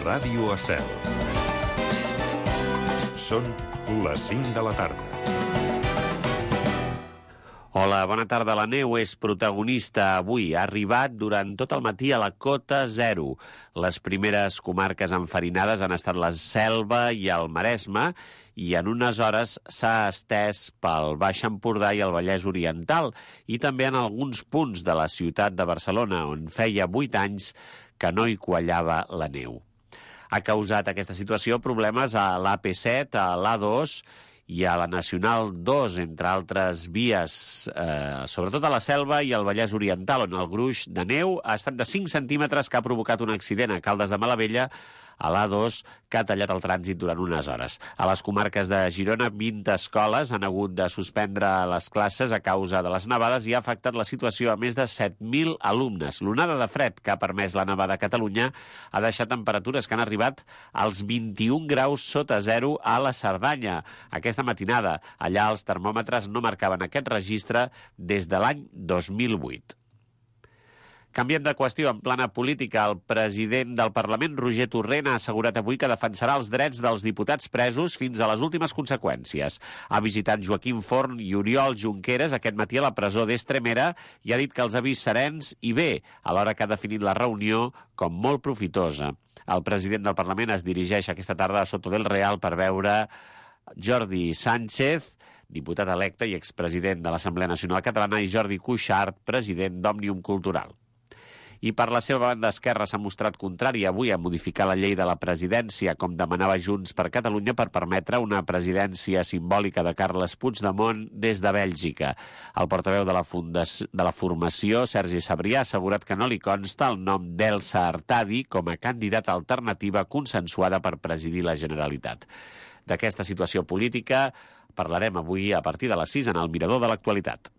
Ràdio Estel. Són les 5 de la tarda. Hola, bona tarda. La neu és protagonista avui. Ha arribat durant tot el matí a la cota 0. Les primeres comarques enfarinades han estat la Selva i el Maresme, i en unes hores s'ha estès pel Baix Empordà i el Vallès Oriental, i també en alguns punts de la ciutat de Barcelona, on feia 8 anys que no hi quallava la neu. Ha causat aquesta situació problemes a l'AP7, a l'A2 i a la Nacional 2, entre altres vies, sobretot a la Selva i al Vallès Oriental, on el gruix de neu ha estat de 5 centímetres, que ha provocat un accident a Caldes de Malavella, a l'A2, que ha tallat el trànsit durant unes hores. A les comarques de Girona, 20 escoles han hagut de suspendre les classes a causa de les nevades i ha afectat la situació a més de 7.000 alumnes. L'onada de fred que ha permès la nevada a Catalunya ha deixat temperatures que han arribat als 21 graus sota zero a la Cerdanya. Aquesta matinada, allà els termòmetres no marcaven aquest registre des de l'any 2008. Canviem de qüestió. En plana política, el president del Parlament, Roger Torrent, ha assegurat avui que defensarà els drets dels diputats presos fins a les últimes conseqüències. Ha visitat Joaquim Forn i Oriol Junqueras aquest matí a la presó d'Estremera i ha dit que els ha vist serens i bé, alhora que ha definit la reunió com molt profitosa. El president del Parlament es dirigeix aquesta tarda a Soto del Real per veure Jordi Sánchez, diputat electe i expresident de l'Assemblea Nacional Catalana, i Jordi Cuixart, president d'Òmnium Cultural. I per la seva banda, Esquerra s'ha mostrat contrari avui a modificar la llei de la presidència, com demanava Junts per Catalunya, per permetre una presidència simbòlica de Carles Puigdemont des de Bèlgica. El portaveu de la formació, Sergi Sabrià, ha assegurat que no li consta el nom d'Elsa Artadi com a candidata alternativa consensuada per presidir la Generalitat. D'aquesta situació política parlarem avui a partir de les 6 en el Mirador de l'Actualitat.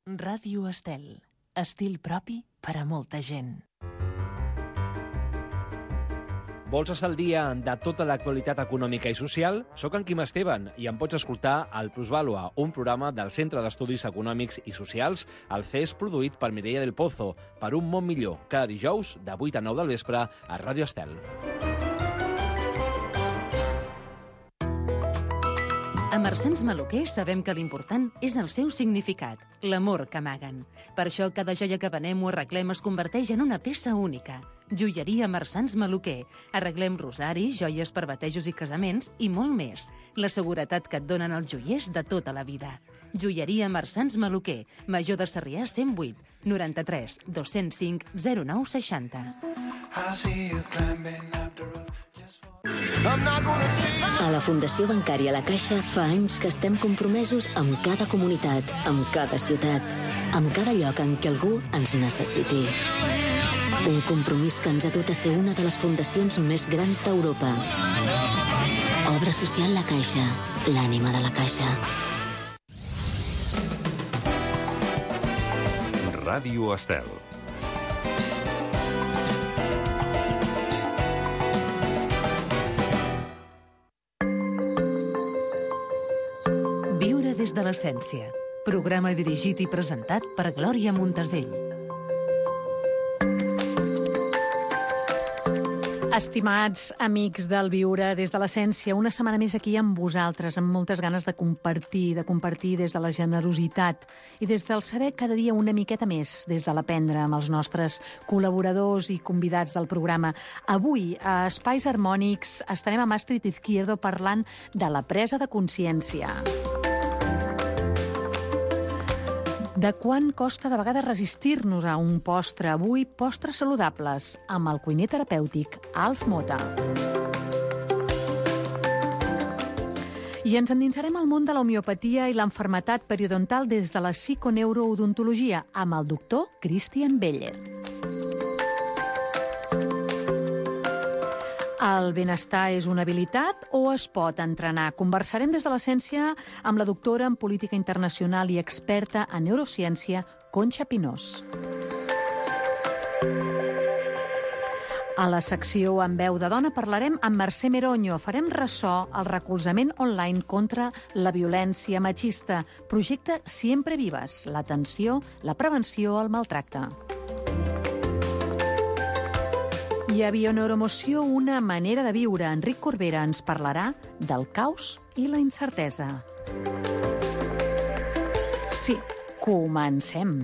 Ràdio Estel. Estil propi per a molta gent. Vols estar al dia de tota l'actualitat econòmica i social? Soc en Quim Esteban i em pots escoltar al Plusvàlua, un programa del Centre d'Estudis Econòmics i Socials, el CES, produït per Mireia del Pozo, per un món millor, cada dijous de 8 a 9 del vespre a Ràdio Estel. A Marsans Maluquer sabem que l'important és el seu significat, l'amor que amaguen. Per això cada joia que venem o arreglem es converteix en una peça única. Joieria Marsans Maluquer. Arreglem rosaris, joies per batejos i casaments i molt més. La seguretat que et donen els joiers de tota la vida. Joieria Marsans Maluquer. Major de Sarrià 108 93 205 09 60. A la Fundació Bancària La Caixa fa anys que estem compromesos amb cada comunitat, amb cada ciutat, amb cada lloc en què algú ens necessiti. Un compromís que ens ha dut a ser una de les fundacions més grans d'Europa. Obra social La Caixa, l'ànima de la Caixa. Ràdio Estel. Viure des de l'essència. Programa dirigit i presentat per Glòria Montesell. Estimats amics del Viure des de l'essència, una setmana més aquí amb vosaltres, amb moltes ganes de compartir des de la generositat i des del saber cada dia una miqueta més, des de l'aprendre amb els nostres col·laboradors i convidats del programa. Avui, a Espais Harmònics, estarem amb Astrid Izquierdo parlant de la presa de consciència. De quant costa de vegades resistir-nos a un postre. Avui, postres saludables, amb el cuiner terapèutic Alf Mota. I ens endinsarem al món de la homeopatia i l'enfermetat periodontal des de la psiconeuroodontologia amb el doctor Christian Beller. El benestar és una habilitat o es pot entrenar? Conversarem des de l'essència amb la doctora en política internacional i experta en neurociència, Conxa Pinós. A la secció En veu de dona parlarem amb Mercè Meroño. Farem ressò al recolzament online contra la violència machista. Projecte Siempre Vivas, l'atenció, la prevenció al maltracte. I a Bioneuromoció, una manera de viure. Enric Corbera ens parlarà del caos i la incertesa. Sí, comencem.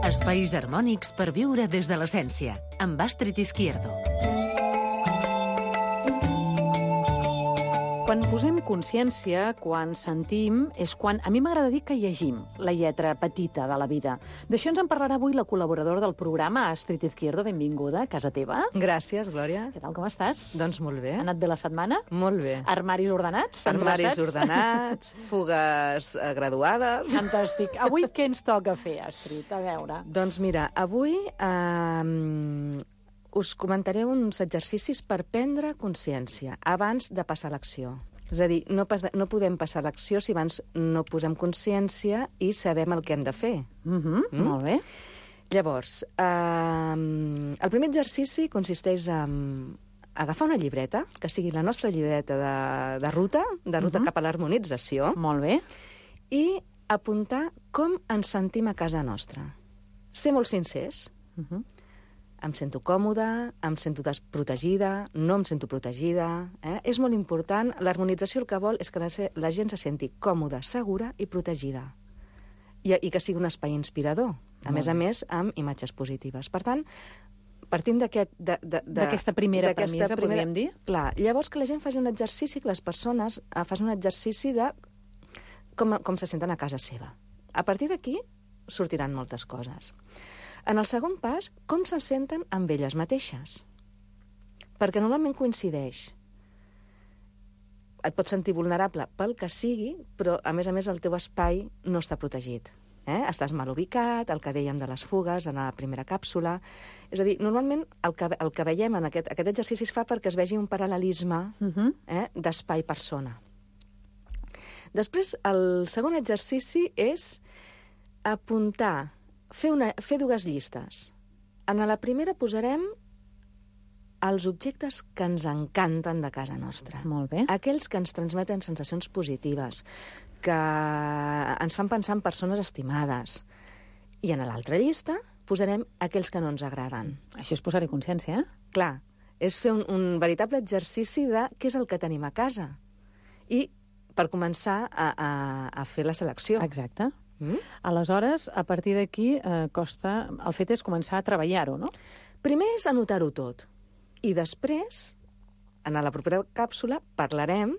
Espais harmònics per viure des de l'essència, amb Astrid Izquierdo. Quan posem consciència, quan sentim, és quan a mi m'agrada dir que llegim la lletra petita de la vida. D'això ens en parlarà avui la col·laboradora del programa, Astrid Izquierdo. Benvinguda a casa teva. Gràcies, Glòria. Què tal, com estàs? Doncs molt bé. Ha anat bé la setmana? Molt bé. Armaris ordenats? Armaris endreçats? ordenats, fugues graduades. Fantàstic. Avui què ens toca fer, Astrid? A veure. Doncs mira, avui us comentaré uns exercicis per prendre consciència abans de passar a l'acció. És a dir, no podem passar a l'acció si abans no posem consciència i sabem el que hem de fer. Molt bé. Llavors, el primer exercici consisteix en agafar una llibreta, que sigui la nostra llibreta de ruta cap a l'harmonització, Molt bé. i apuntar com ens sentim a casa nostra. Ser molt sincers. Em sento còmoda, em sento desprotegida, no em sento protegida. És molt important. L'harmonització el que vol és que la gent se senti còmoda, segura i protegida. I que sigui un espai inspirador. A més, amb imatges positives. Per tant, partint D'aquesta primera premissa, podríem dir? Clar, llavors que la gent faci un exercici, que les persones facin un exercici de com se senten a casa seva. A partir d'aquí sortiran moltes coses. En el segon pas, com se senten amb elles mateixes. Perquè normalment coincideix. Et pots sentir vulnerable pel que sigui, però, a més, el teu espai no està protegit. Estàs mal ubicat, el que dèiem de les fugues en la primera càpsula. És a dir, normalment el que veiem en aquest exercici es fa perquè es vegi un paral·lelisme d'espai-persona. Després, el segon exercici és apuntar, fer dues llistes. En la primera posarem els objectes que ens encanten de casa nostra. Molt bé. Aquells que ens transmeten sensacions positives, que ens fan pensar en persones estimades. I en l'altra llista posarem aquells que no ens agraden. Això és posar-hi consciència, Clar, és fer un veritable exercici de què és el que tenim a casa. I per començar a fer la selecció. Exacte. Aleshores, a partir d'aquí, el fet és començar a treballar-ho, no? Primer és anotar-ho tot. I després, en la propera càpsula, parlarem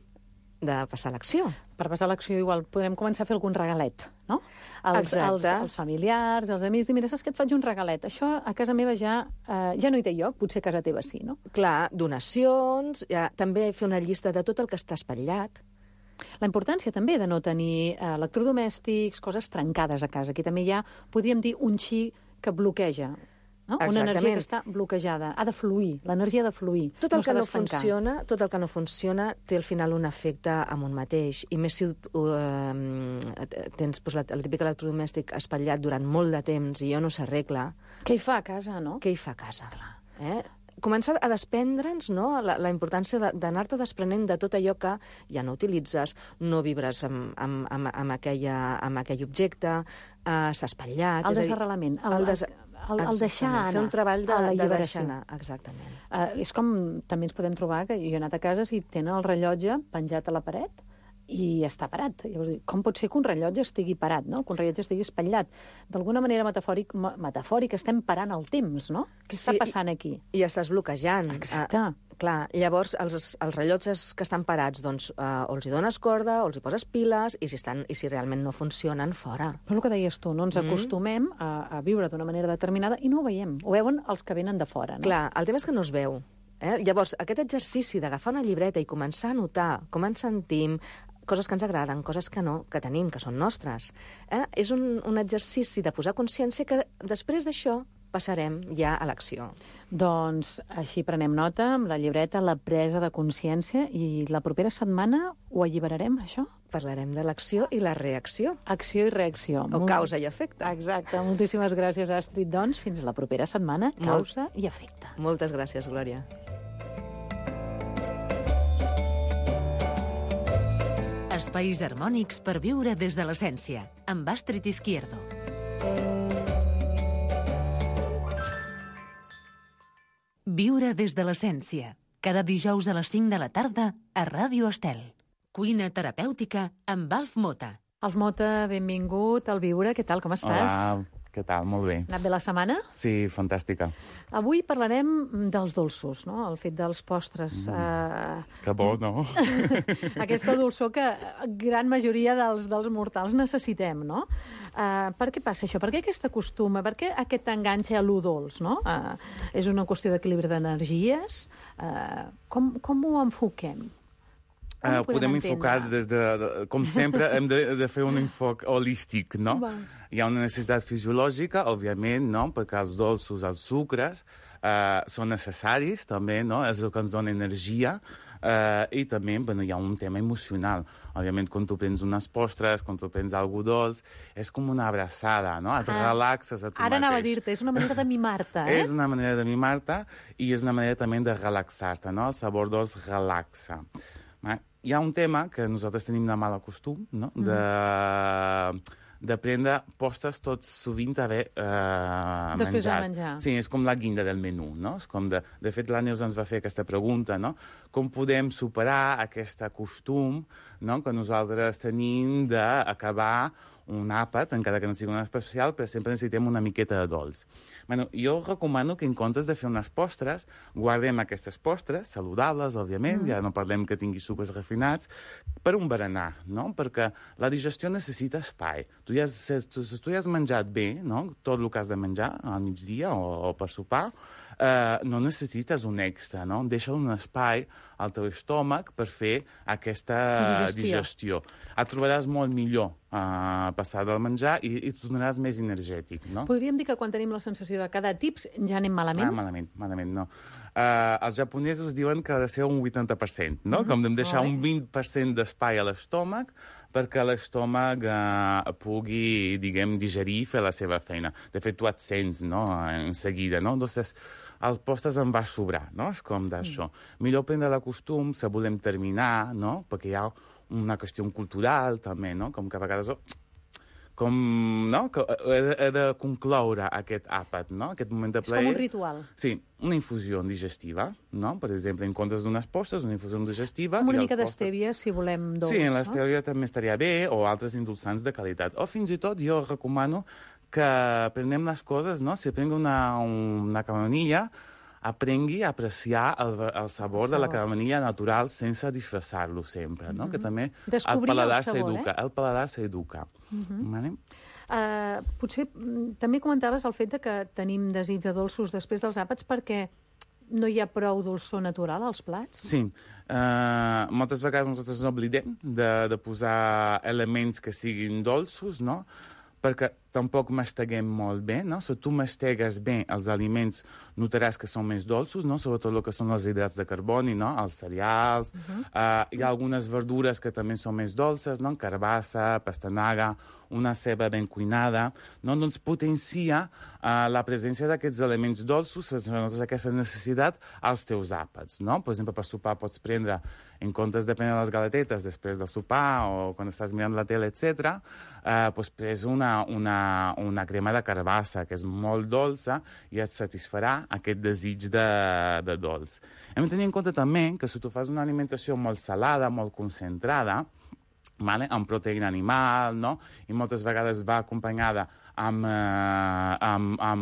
de passar a l'acció. Per passar a l'acció, igual, podrem començar a fer algun regalet, no? Exacte. Els familiars, els amics, dir, mira, saps que et faig un regalet? Això a casa meva ja no hi té lloc, potser a casa teva sí, no? Clar, donacions, també fer una llista de tot el que està espatllat. La importància també de no tenir electrodomèstics, coses trencades a casa. Aquí també hi ha, podríem dir, un xi que bloqueja, no? Una energia que està bloquejada. Ha de fluir, l'energia ha de fluir. Tot el que no funciona té al final un efecte amb un mateix. I més si tens el típic electrodomèstic espatllat durant molt de temps i no s'arregla. Què hi fa a casa, no? Què hi fa a casa? Començar a desprendre'ns, no? La importància d'anar-te desprenent de tot allò que ja no utilitzes, no vibres amb aquell objecte, està espatllat. El desarrelament, el deixar anar. Fer un treball de alliberació. deixar anar, exactament. És com també ens podem trobar que jo he anat a casa i tenen el rellotge penjat a la paret i està parat. Llavors, com pot ser que un rellotge estigui parat, no? Que un rellotge estigui espatllat? D'alguna manera metafòric estem parant el temps, no? Què està passant aquí? I estàs bloquejant. Exacte. Clar, llavors els rellotges que estan parats, doncs, o els hi dones corda, o els hi poses piles, i si realment no funcionen, fora. Però el que deies tu, no ens acostumem a viure d'una manera determinada i no ho veiem. Ho veuen els que venen de fora, no? Clar, el tema és que no es veu. Llavors, aquest exercici d'agafar una llibreta i començar a notar com ens sentim, coses que ens agraden, coses que no, que tenim, que són nostres. És un exercici de posar consciència que després d'això passarem ja a l'acció. Doncs així prenem nota amb la llibreta, la presa de consciència, i la propera setmana ho alliberarem, això? Parlarem de l'acció i la reacció. Acció i reacció. O causa i efecte. Exacte. Moltíssimes gràcies, Astrid. Doncs fins la propera setmana, causa i efecte. Moltes gràcies, Glòria. Espais harmònics per viure des de l'essència, amb Astrid Izquierdo. Viure des de l'essència, cada dijous a les 5 de la tarda a Ràdio Estel. Cuina terapèutica amb Alf Mota. Alf Mota, benvingut al Viure. Què tal, com estàs? Hola, què tal? Molt bé. Ha anat bé la setmana? Sí, fantàstica. Avui parlarem dels dolços, no? El fet dels postres. Que bo, no? Aquesta dolçor que gran majoria dels mortals necessitem, no? Per què passa això? Per què aquest costum? Per què aquest enganxe a lo dolç, no? És una qüestió d'equilibri d'energies? Com ho enfoquem? Podem enfocar des de... Com sempre, hem de fer un enfoc holístic, no? Hi ha una necessitat fisiològica, òbviament, no? Perquè els dolços, els sucres, són necessaris, també, no? És el que ens dona energia. I també hi ha un tema emocional. Òbviament, quan tu prens unes postres, quan tu prens algú dolç, és com una abraçada, no? Et relaxes a tu mateix. Ara anava a dir-te, és una manera de mimar-te, eh? És una manera de mimar-te i és una manera també de relaxar-te, no? El sabor dolç relaxa. Hi ha un tema que nosaltres tenim de mal costum, no? De prendre postres tot sovint haver menjat. Després de menjar. Sí, és com la guinda del menú, no? És com de fet, la Neus ens va fer aquesta pregunta, no? Com podem superar aquest costum, no? Que nosaltres tenim d'acabar un àpat, encara que no sigui un especial, però sempre necessitem una miqueta de dolç. Jo recomano que en comptes de fer unes postres, guardem aquestes postres, saludables, òbviament, ja no parlem que tingui sucres refinats, per un berenar, no? Perquè la digestió necessita espai. Tu ja has menjat bé, no? Tot el que has de menjar al migdia o per sopar, no necessites un extra, no? Deixa un espai al teu estómac per fer aquesta digestió. Et trobaràs molt millor passar del menjar i et tornaràs més energètic, no? Podríem dir que quan tenim la sensació de cada tips ja anem malament? Malament, no. Els japonesos diuen que ha de ser un 80%, no? Com de deixar un 20% d'espai a l'estómac perquè l'estómac pugui, diguem, digerir i fer la seva feina. De fet, tu et sents, no?, en seguida, no? Entonces, els postres en va sobrar, no? És com d'això. Millor prendre la costum, si volem terminar, no? Perquè hi ha una qüestió cultural, també, no? Com que a vegades... no? Que he de concloure aquest àpat, no? Aquest moment de plaer. És com un ritual. Sí, una infusió digestiva, no? Per exemple, en comptes d'unes postres, una infusió digestiva... Una mica d'estèvia, si volem dolç, sí, l'estèvia també estaria bé, o altres endolçants de qualitat. O fins i tot jo recomano que prenem les coses, no? Si prenc una camamilla, aprengui a apreciar el sabor de la camamilla natural sense disfressar-lo sempre, no? Que també el paladar s'educa. Potser també comentaves el fet que tenim desig de dolços després dels àpats perquè no hi ha prou dolçor natural als plats? Sí. Moltes vegades nosaltres ens oblidem de posar elements que siguin dolços, no? Perquè tampoc masteguem molt bé, no? Si tu mastegues bé els aliments, notaràs que són més dolços, no? Sobretot el que són els hidrats de carboni, no? Els cereals. Hi ha algunes verdures que també són més dolces, no? Carbassa, pastanaga, una ceba ben cuinada, no? Doncs potencia la presència d'aquests elements dolços, si notes aquesta necessitat, als teus àpats, no? Per exemple, per sopar pots prendre, en comptes de prendre les galetetes després del sopar o quan estàs mirant la tele, etc., doncs pres una crema de carbassa, que és molt dolça, i et satisfarà aquest desig de dolç. Hem de tenir en compte també que si tu fas una alimentació molt salada, molt concentrada, amb proteïna animal, no? I moltes vegades va acompanyada amb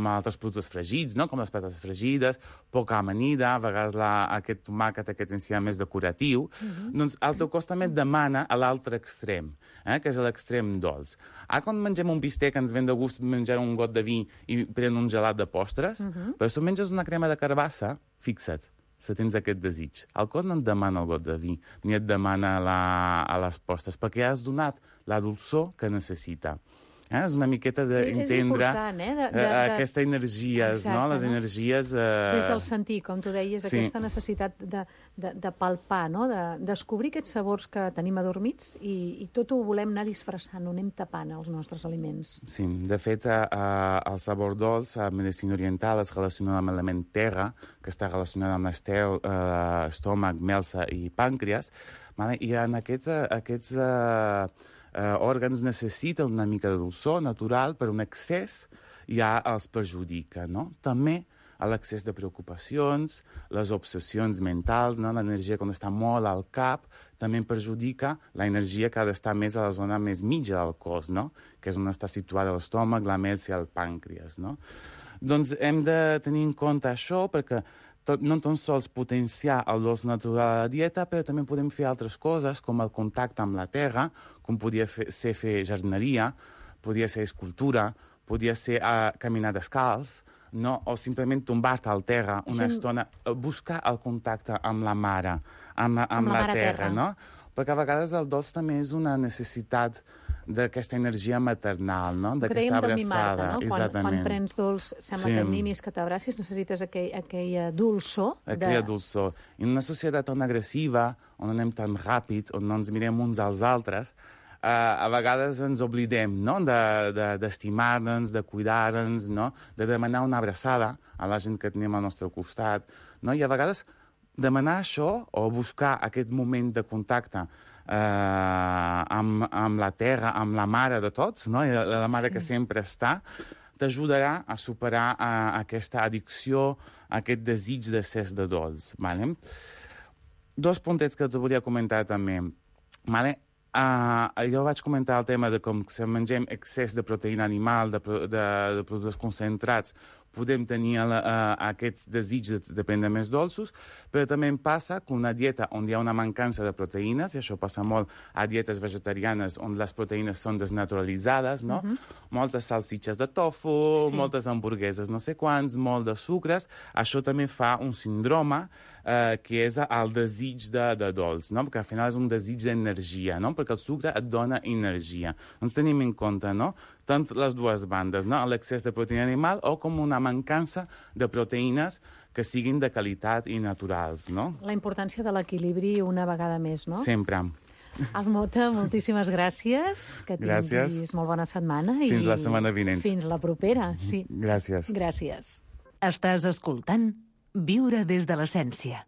altres productes fregits, no? Com les patates fregides, poca amanida, a vegades aquest tomàquet, aquest enciam més decoratiu, doncs el teu cos també et demana a l'altre extrem, que és l'extrem dolç. Quan mengem un bistec ens ven de gust menjar un got de vi i pren un gelat de postres, però si menges una crema de carbassa, fixa't, si tens aquest desig. El cos no et demana el got de vi, ni et demana a les postres, perquè ja has donat la dolçor que necessita. És una miqueta d'entendre aquestes energies, no? Les energies... Des del sentir, com tu deies, aquesta necessitat de palpar, no? De descobrir aquests sabors que tenim adormits i tot ho volem anar disfressant, ho anem tapant, els nostres aliments. Sí, de fet, el sabor dolç a medicina oriental es relaciona amb l'element terra, que està relacionat amb l'estel, estómac, melsa i pàncreas, i en aquests òrgans necessiten una mica de dolçor natural, però un excés ja els perjudica, no? També l'excés de preocupacions, les obsessions mentals, no? L'energia quan està molt al cap, també perjudica l'energia que ha d'estar més a la zona més mitja del cos, no? Que és on està situada l'estómac, la melsa i el pàncreas, no? Doncs hem de tenir en compte això perquè no tan sols potenciar el dolç natural a la dieta, però també podem fer altres coses, com el contacte amb la terra, com podia ser fer jardineria, podia ser escultura, podia ser caminar descalç, no? O simplement tombar-te al terra una estona, buscar el contacte amb la mare, amb la terra, no? Perquè a vegades el dolç també és una necessitat d'aquesta energia maternal, no? D'aquesta abraçada. No? Quan prens dolç, sembla que et mimis, que t'abracis, necessites aquella dolçor. Aquella dolçor. I en una societat tan agressiva, on anem tan ràpid, on no ens mirem uns als altres, a vegades ens oblidem, no? D'estimar-nos, de cuidar-nos, no? De demanar una abraçada a la gent que tenim al nostre costat, no? I a vegades demanar això o buscar aquest moment de contacte amb la terra, amb la mare de tots, no? La mare que sempre està, t'ajudarà a superar aquesta addicció, aquest desig d'excés de dolç. Vale? Dos puntets que te volia comentar també. Vale? Jo vaig comentar el tema de com si mengem excés de proteïna animal, de productes concentrats, podem tenir aquest desig de prendre més dolços, però també em passa que una dieta on hi ha una mancança de proteïnes, i això passa molt a dietes vegetarianes on les proteïnes són desnaturalitzades, no? Moltes salsitxes de tofu, moltes hamburgueses no sé quants, molt de sucres, això també fa un síndrome que és el desig de dolç, no? Perquè al final és un desig d'energia, no? Perquè el sucre et dona energia. Doncs tenim en compte, no? Tant les dues bandes, no? L'excés de proteïna animal o com una mancança de proteïnes que siguin de qualitat i naturals, no? La importància de l'equilibri una vegada més, no? Sempre. Almota, moltíssimes gràcies. Que tinguis molt bona setmana. Fins la setmana vinent. Fins la propera, sí. Gràcies. Gràcies. Estàs escoltant Viure des de l'essència.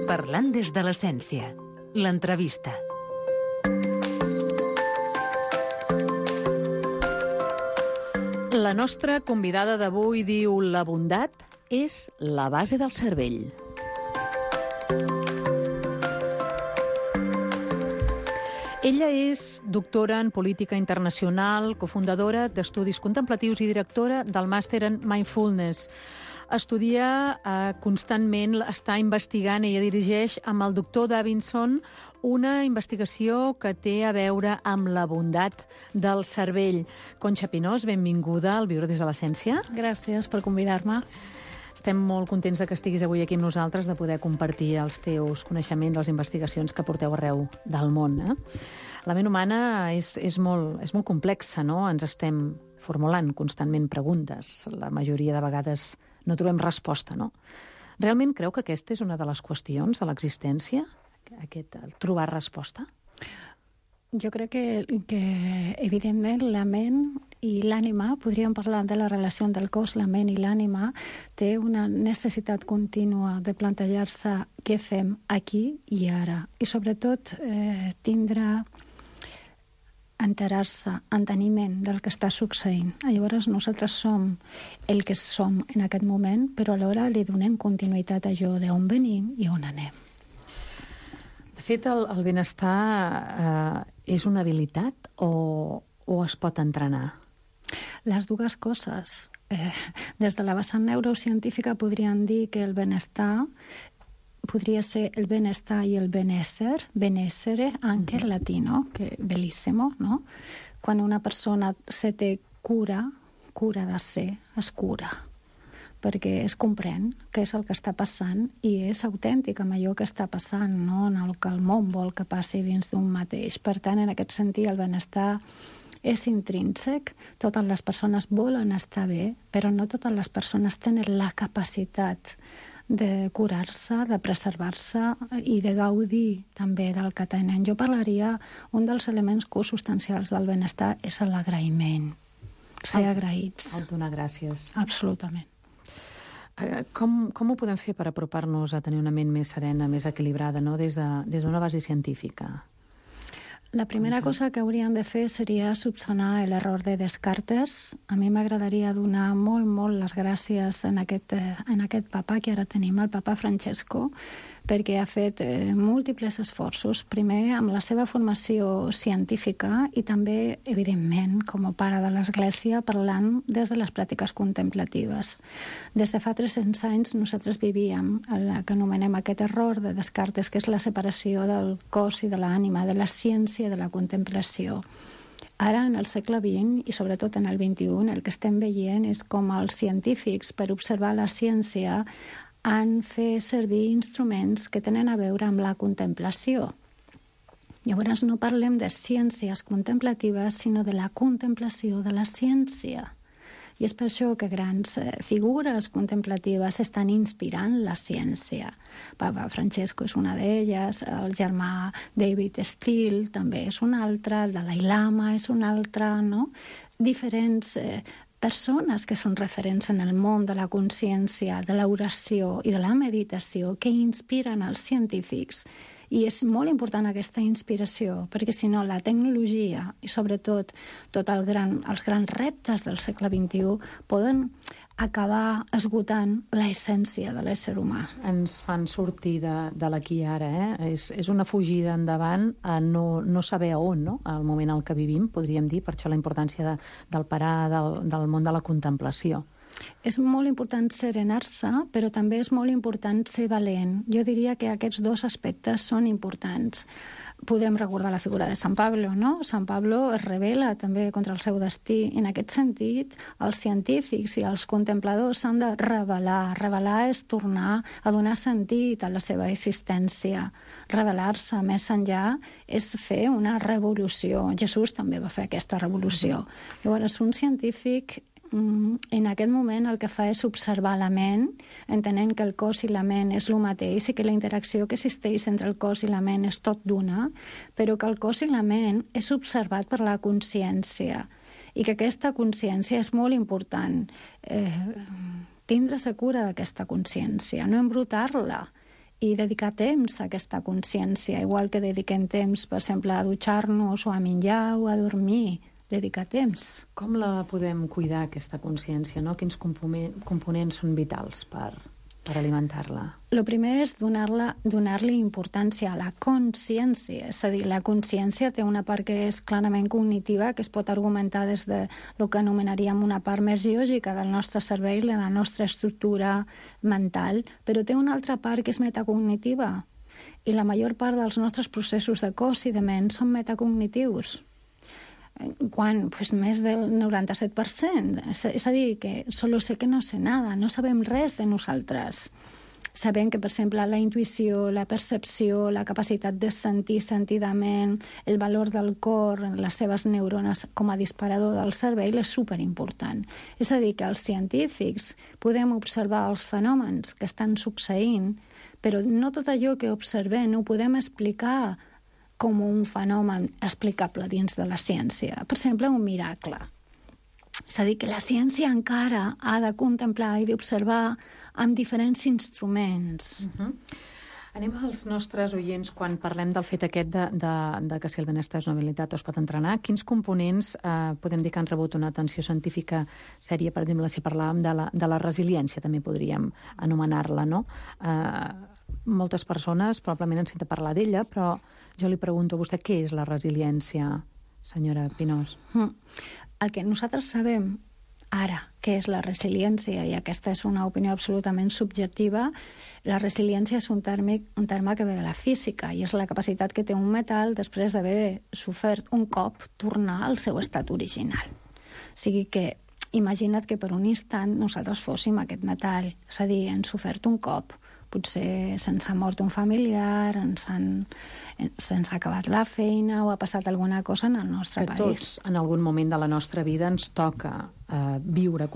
Parlant des de l'essència. L'entrevista. La nostra convidada d'avui diu: la bondat és la base del cervell. Ella és doctora en política internacional, cofundadora d'Estudis Contemplatius i directora del màster en Mindfulness. Estudia constantment, està investigant, ella dirigeix amb el doctor Davidson una investigació que té a veure amb la bondat del cervell. Conxa Pinós, benvinguda al Viure des de l'essència. Gràcies per convidar-me. Estem molt contents de que estiguis avui aquí amb nosaltres, de poder compartir els teus coneixements, les investigacions que porteu arreu del món. La ment humana és molt complexa, no? Ens estem formulant constantment preguntes. La majoria de vegades no trobem resposta, no? Realment creu que aquesta és una de les qüestions de l'existència? El trobar resposta? Jo crec que evidentment, la ment i l'ànima, podríem parlar de la relació del cos, la ment i l'ànima, té una necessitat contínua de plantejar-se què fem aquí i ara. I sobretot tindre enterar-se, enteniment del que està succeint. Llavors nosaltres som el que som en aquest moment, però alhora li donem continuïtat a allò d'on venim i on anem. De fet, el benestar és una habilitat o es pot entrenar? Les dues coses. Des de la vessant neurocientífica podríem dir que el benestar podria ser el benestar i el benessere, benessere, anche en latino, que bellissimo, no? Quan una persona se té cura de ser, es cura. perquè es comprèn què és el que està passant i és autèntic amb allò que està passant, no? En el que el món vol que passi dins d'un mateix. Per tant, en aquest sentit, el benestar és intrínsec. Totes les persones volen estar bé, però no totes les persones tenen la capacitat de curar-se, de preservar-se i de gaudir també del que tenen. Jo parlaria, un dels elements consubstancials del benestar és l'agraïment. Ser agraïts. El donar gràcies. Absolutament. Com ho podem fer per apropar-nos a tenir una ment més serena, més equilibrada, no? Des d'una base científica? La primera cosa que hauríem de fer seria subsanar l'error de Descartes. A mi m'agradaria donar molt les gràcies en aquest papa que ara tenim, el papa Francesco, perquè ha fet múltiples esforços, primer amb la seva formació científica i també, evidentment, com a pare de l'Església, parlant des de les pràctiques contemplatives. Des de fa 300 anys nosaltres vivíem el que anomenem aquest error de Descartes, que és la separació del cos i de l'ànima, de la ciència i de la contemplació. Ara, en el segle XX i sobretot en el XXI, el que estem veient és com els científics, per observar la ciència, han fet servir instruments que tenen a veure amb la contemplació. Llavors no parlem de ciències contemplatives, sinó de la contemplació de la ciència. I és per això que grans figures contemplatives estan inspirant la ciència. Papa Francesco és una d'elles, el germà David Steele també és un altre, el Dalai Lama és un altre, no? Diferents persones que són referents en el món de la consciència, de l'oració i de la meditació que inspiren els científics. I és molt important aquesta inspiració, perquè si no la tecnologia i sobretot els grans reptes del segle XXI poden acabar esgotant l'essència de l'ésser humà. Ens fan sortir de l'aquí i ara, És una fugida endavant a no saber a on, no? Al moment en què vivim, podríem dir, per això la importància del parar del món de la contemplació. És molt important serenar-se, però també és molt important ser valent. Jo diria que aquests dos aspectes són importants. Podem recordar la figura de Sant Pablo, no? Sant Pablo es rebel·la també contra el seu destí. En aquest sentit, els científics i els contempladors s'han de revelar. Revelar és tornar a donar sentit a la seva existència. Revelar-se més enllà és fer una revolució. Jesús també va fer aquesta revolució. Llavors, un científic en aquest moment el que fa és observar la ment, entenent que el cos i la ment és el mateix i que la interacció que existeix entre el cos i la ment és tot d'una, però que el cos i la ment és observat per la consciència i que aquesta consciència és molt important. Tindre-se cura d'aquesta consciència, no embrutar-la i dedicar temps a aquesta consciència, igual que dediquem temps, per exemple, a dutxar-nos o a menjar o a dormir. Dedicar temps. Com la podem cuidar, aquesta consciència, no? Quins components són vitals per alimentar-la? El primer és donar-li importància a la consciència. És a dir, la consciència té una part que és clarament cognitiva, que es pot argumentar des de el que anomenaríem una part més biològica del nostre cervell, de la nostra estructura mental, però té una altra part que és metacognitiva. I la major part dels nostres processos de cos i de ment són metacognitius. Més del 97%. És a dir, que solo sé que no sé nada, no sabem res de nosaltres. Sabem que, per exemple, la intuïció, la percepció, la capacitat de sentir sentidament, el valor del cor, les seves neurones com a disparador del cervell és superimportant. És a dir, que els científics podem observar els fenòmens que estan succeint, però no tot allò que observem ho podem explicar com un fenomen explicable dins de la ciència. Per exemple, un miracle. És a dir, que la ciència encara ha de contemplar i d'observar amb diferents instruments. Anem als nostres oients quan parlem del fet aquest de que si el benestar és una habilitat o es pot entrenar. Quins components podem dir que han rebut una atenció científica sèria? Per exemple, si parlàvem de la resiliència, també podríem anomenar-la, no? Moltes persones probablement han sentit parlar d'ella, però jo li pregunto a vostè què és la resiliència, senyora Pinós? El que nosaltres sabem ara què és la resiliència, i aquesta és una opinió absolutament subjectiva, la resiliència és un terme que ve de la física i és la capacitat que té un metall després d'haver sofert un cop tornar al seu estat original. O sigui que imagina't que per un instant nosaltres fóssim aquest metall, és a dir, hem sofert un cop, potser se'ns ha mort un familiar, se'ns ha acabat la feina o ha passat alguna cosa en el nostre país. Tots, en algun moment de la nostra vida, ens toca viure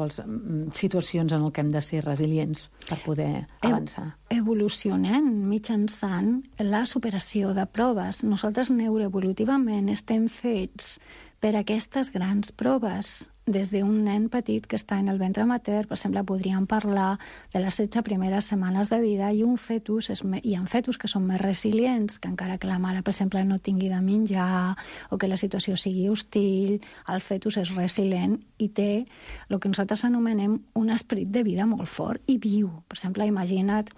situacions en què hem de ser resilients per poder avançar. Evolucionem mitjançant la superació de proves. Nosaltres neuroevolutivament estem fets per aquestes grans proves. Des d'un nen petit que està en el ventre mater, per exemple, podríem parlar de les 16 primeres setmanes de vida, i hi ha fetus que són més resilients, que encara que la mare, per exemple, no tingui de menjar o que la situació sigui hostil, el fetus és resilient i té el que nosaltres anomenem un esperit de vida molt fort i viu. Per exemple, imagina't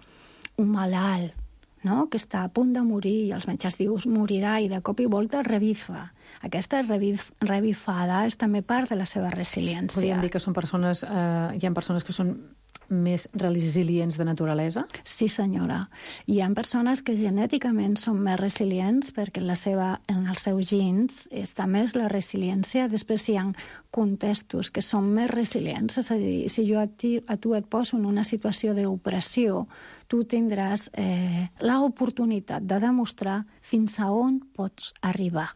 un malalt, no?, que està a punt de morir i els metges dius morirà i de cop i volta revifa. Aquesta revifada és també part de la seva resiliència. Podríem dir que són persones, hi ha persones que són més resilients de naturalesa? Sí, senyora. Hi ha persones que genèticament són més resilients perquè en els seus gens està més la resiliència. Després hi ha contextos que són més resilients. És a dir, si jo a tu et poso en una situació d'opressió, tu tindràs l'oportunitat de demostrar fins a on pots arribar.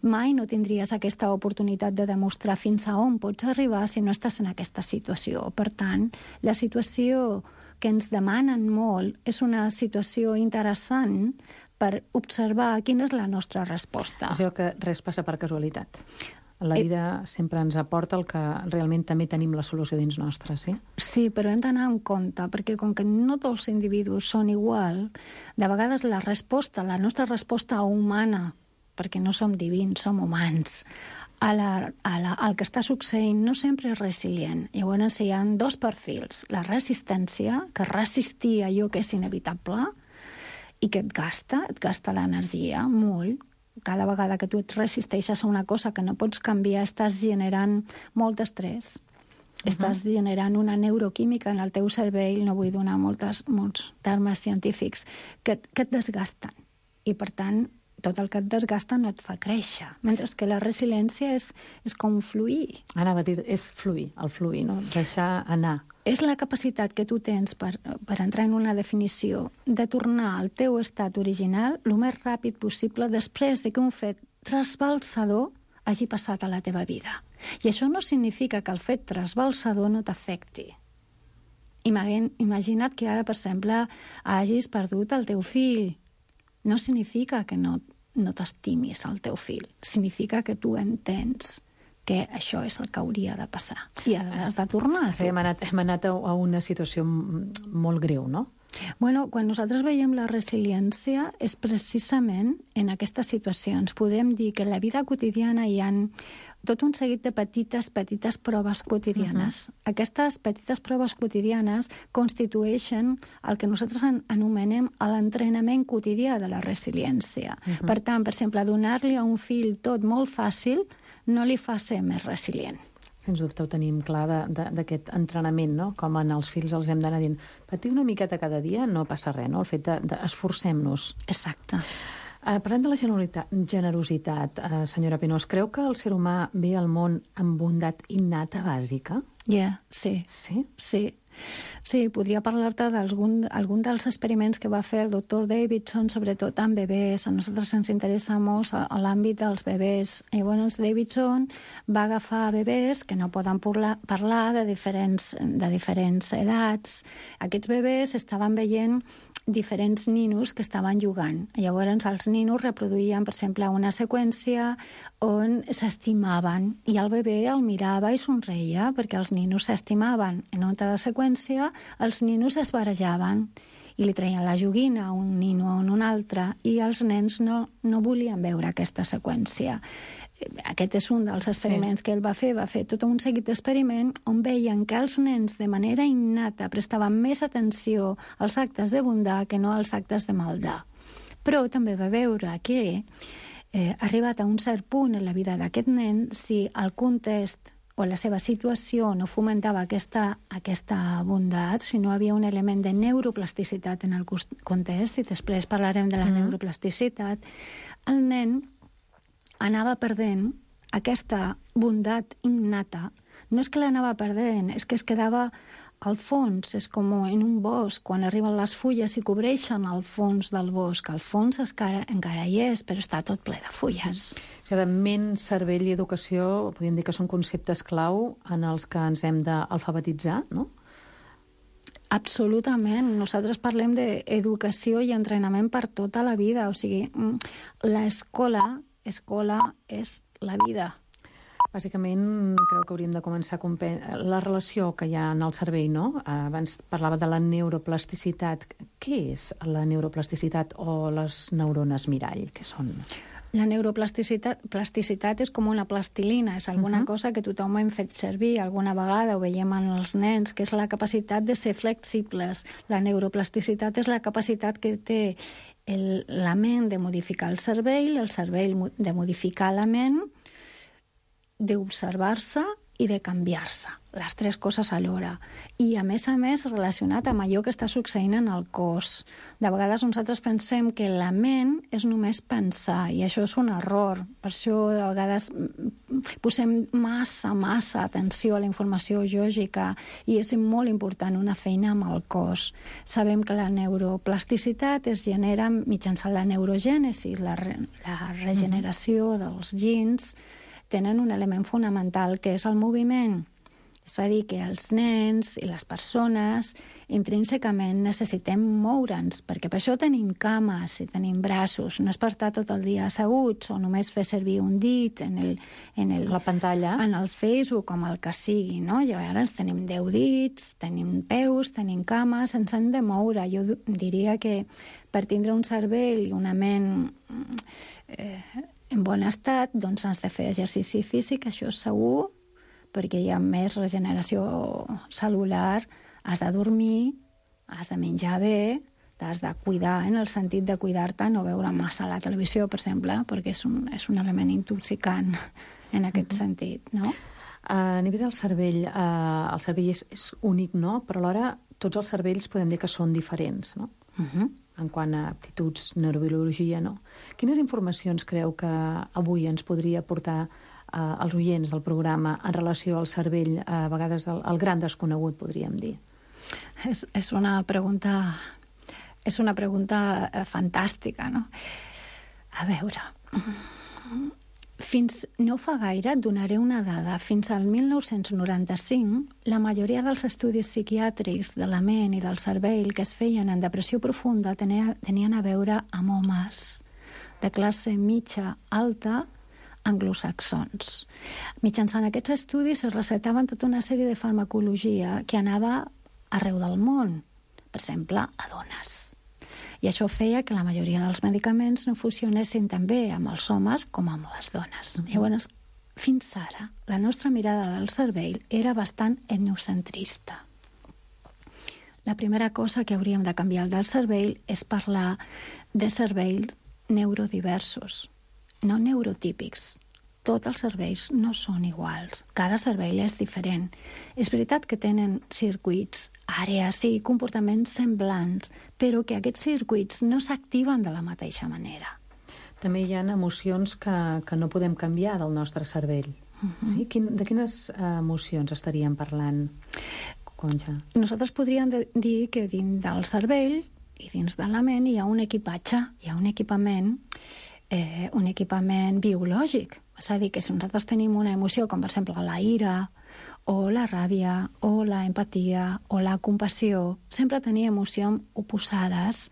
Mai no tindries aquesta oportunitat de demostrar fins a on pots arribar si no estàs en aquesta situació. Per tant, la situació que ens demanen molt és una situació interessant per observar quina és la nostra resposta. És que res passa per casualitat. La vida sempre ens aporta el que realment també tenim la solució dins nostra, sí? Sí, però hem d'anar en compte, perquè com que no tots els individus són igual, de vegades la nostra resposta humana, perquè no som divins, som humans, el que està succeint no sempre és resilient. Llavors hi ha dos perfils. La resistència, que resistir allò que és inevitable i que et gasta l'energia molt. Cada vegada que tu et resisteixes a una cosa que no pots canviar, estàs generant molt estrès. Estàs generant una neuroquímica en el teu cervell, no vull donar molts termes científics, que et desgasten. I, per tant, tot el que et desgasta no et fa créixer. Mentre que la resiliència és com fluir. Anava a dir, és fluir, el fluir, no? Deixar anar. És la capacitat que tu tens per entrar en una definició de tornar al teu estat original el més ràpid possible després de que un fet trasbalsador hagi passat a la teva vida. I això no significa que el fet trasbalsador no t'afecti. Imagina't que ara, per exemple, hagis perdut el teu fill. No significa que no t'estimis el teu fill. Significa que tu entens que això és el que hauria de passar. I has de tornar. Sí, hem anat a una situació molt greu, no? Bueno, quan nosaltres veiem la resiliència és precisament en aquestes situacions. Podem dir que en la vida quotidiana hi ha tot un seguit de petites proves quotidianes. Aquestes petites proves quotidianes constitueixen el que nosaltres anomenem l'entrenament quotidià de la resiliència. Per tant, per exemple, donar-li a un fill tot molt fàcil no li fa ser més resilient. Sens dubte ho tenim clar d'aquest entrenament, no? Com en els fills els hem d'anar dient patir una miqueta cada dia, no passa res, no? El fet d'esforcem-nos. Exacte. Parlem de la generositat, senyora Pinós. Creu que el ser humà ve al món amb bondat innata bàsica? Sí. Sí? Sí. Sí, podria parlar-te d'algun dels experiments que va fer el doctor Davidson, sobretot amb bebès. A nosaltres ens interessa molt a l'àmbit dels bebès. Llavors, Davidson va agafar bebès que no poden parlar de diferents edats. Aquests bebès estaven veient diferents ninos que estaven jugant. Llavors, els ninos reproduïen, per exemple, una seqüència on s'estimaven i el bebè el mirava i somreia perquè els ninos s'estimaven. En una altra seqüència, els ninos es barejaven i li treien la joguina a un nino o a un altre i els nens no volien veure aquesta seqüència. Aquest és un dels experiments que ell va fer tot un seguit d'experiments on veien que els nens de manera innata prestaven més atenció als actes de bondat que no als actes de maldat. Però també va veure que arribat a un cert punt en la vida d'aquest nen, si el context o la seva situació no fomentava aquesta bondat, si no havia un element de neuroplasticitat en el context, i després parlarem de la neuroplasticitat, el nen anava perdent aquesta bondat innata no és que l'anava perdent, és que es quedava al fons, és com en un bosc, quan arriben les fulles i cobreixen el fons del bosc. El fons encara hi és, però està tot ple de fulles. O sigui, ment, cervell i educació, podríem dir que són conceptes clau en els que ens hem d'alfabetitzar, no? Absolutament. Nosaltres parlem d'educació i entrenament per tota la vida. O sigui, l'escola és la vida. Bàsicament, creu que hauríem de començar a la relació que hi ha en el cervell, no? Abans parlava de la neuroplasticitat. Què és la neuroplasticitat o les neurones mirall? Què són? La neuroplasticitat és com una plastilina, és alguna cosa que tothom hem fet servir alguna vegada, ho veiem en els nens, que és la capacitat de ser flexibles. La neuroplasticitat és la capacitat que té la ment de modificar el cervell de modificar la ment, d'observar-se i de canviar-se, les tres coses alhora. I, a més, relacionat amb allò que està succeint en el cos. De vegades nosaltres pensem que la ment és només pensar, i això és un error. Per això, de vegades, posem massa atenció a la informació lògica, i és molt important una feina amb el cos. Sabem que la neuroplasticitat es genera mitjançant la neurogènesi, la regeneració dels gens, tenen un element fonamental, que és el moviment. És a dir, que els nens i les persones intrínsecament necessitem moure'ns, perquè per això tenim cames i tenim braços. No és per estar tot el dia asseguts o només fer servir un dit la pantalla, en el Facebook, com el que sigui, no? Llavors tenim 10 dits, tenim peus, tenim cames, ens hem de moure. Jo diria que per tindre un cervell i una ment en bon estat, doncs has de fer exercici físic, això és segur, perquè hi ha més regeneració cel·lular, has de dormir, has de menjar bé, t'has de cuidar, en el sentit de cuidar-te, no veure massa la televisió, per exemple, perquè és un element intoxicant en aquest sentit, no? A nivell del cervell, el cervell és únic, no? Però alhora tots els cervells podem dir que són diferents, no? En quant a aptituds, neurobiologia, no? Quines informacions creu que avui ens podria aportar als oients del programa en relació al cervell, a vegades el gran desconegut, podríem dir? És una pregunta fantàstica, no? A veure, fins no fa gaire, et donaré una dada, fins al 1995, la majoria dels estudis psiquiàtrics de la ment i del cervell que es feien en depressió profunda tenien a veure amb homes de classe mitja alta anglosaxons. Mitjançant aquests estudis es recetaven tota una sèrie de farmacologia que anava arreu del món, per exemple, a dones. I això feia que la majoria dels medicaments no funcionessin tan bé amb els homes com amb les dones. Llavors, fins ara, la nostra mirada del cervell era bastant etnocentrista. La primera cosa que hauríem de canviar del cervell és parlar de cervells neurodiversos, no neurotípics. Tots els cervells no són iguals. Cada cervell és diferent. És veritat que tenen circuits, àrees i comportaments semblants, però que aquests circuits no s'activen de la mateixa manera. També hi ha emocions que no podem canviar del nostre cervell. Sí? De quines emocions estaríem parlant, Conxa? Nosaltres podríem dir que dins del cervell i dins de la ment hi ha un equipatge, hi ha un equipament biològic. És a dir, que si nosaltres tenim una emoció, com per exemple la ira, o la ràbia, o la empatia, o la compassió, sempre tenir emocions oposades,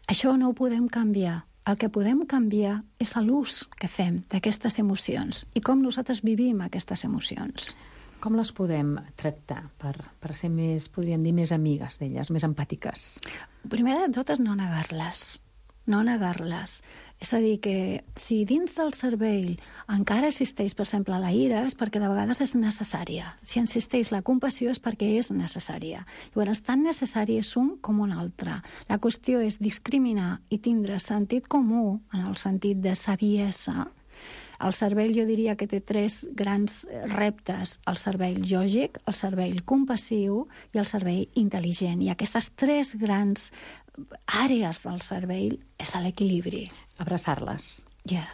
això no ho podem canviar. El que podem canviar és l'ús que fem d'aquestes emocions i com nosaltres vivim aquestes emocions. Com les podem tractar per ser més, podríem dir, més amigues d'elles, més empàtiques? Primer de tot és no negar-les. No negar-les. És a dir, que si dins del cervell encara existeix, per exemple, la ira, és perquè de vegades és necessària. Si existeix la compassió és perquè és necessària. Llavors, tan necessari és un com un altre. La qüestió és discriminar i tindre sentit comú, en el sentit de saviesa. El cervell, jo diria que té 3 grans reptes: el cervell lògic, el cervell compassiu i el cervell intel·ligent. I aquestes 3 grans àrees del cervell és l'equilibri. Abraçar-les. Ja.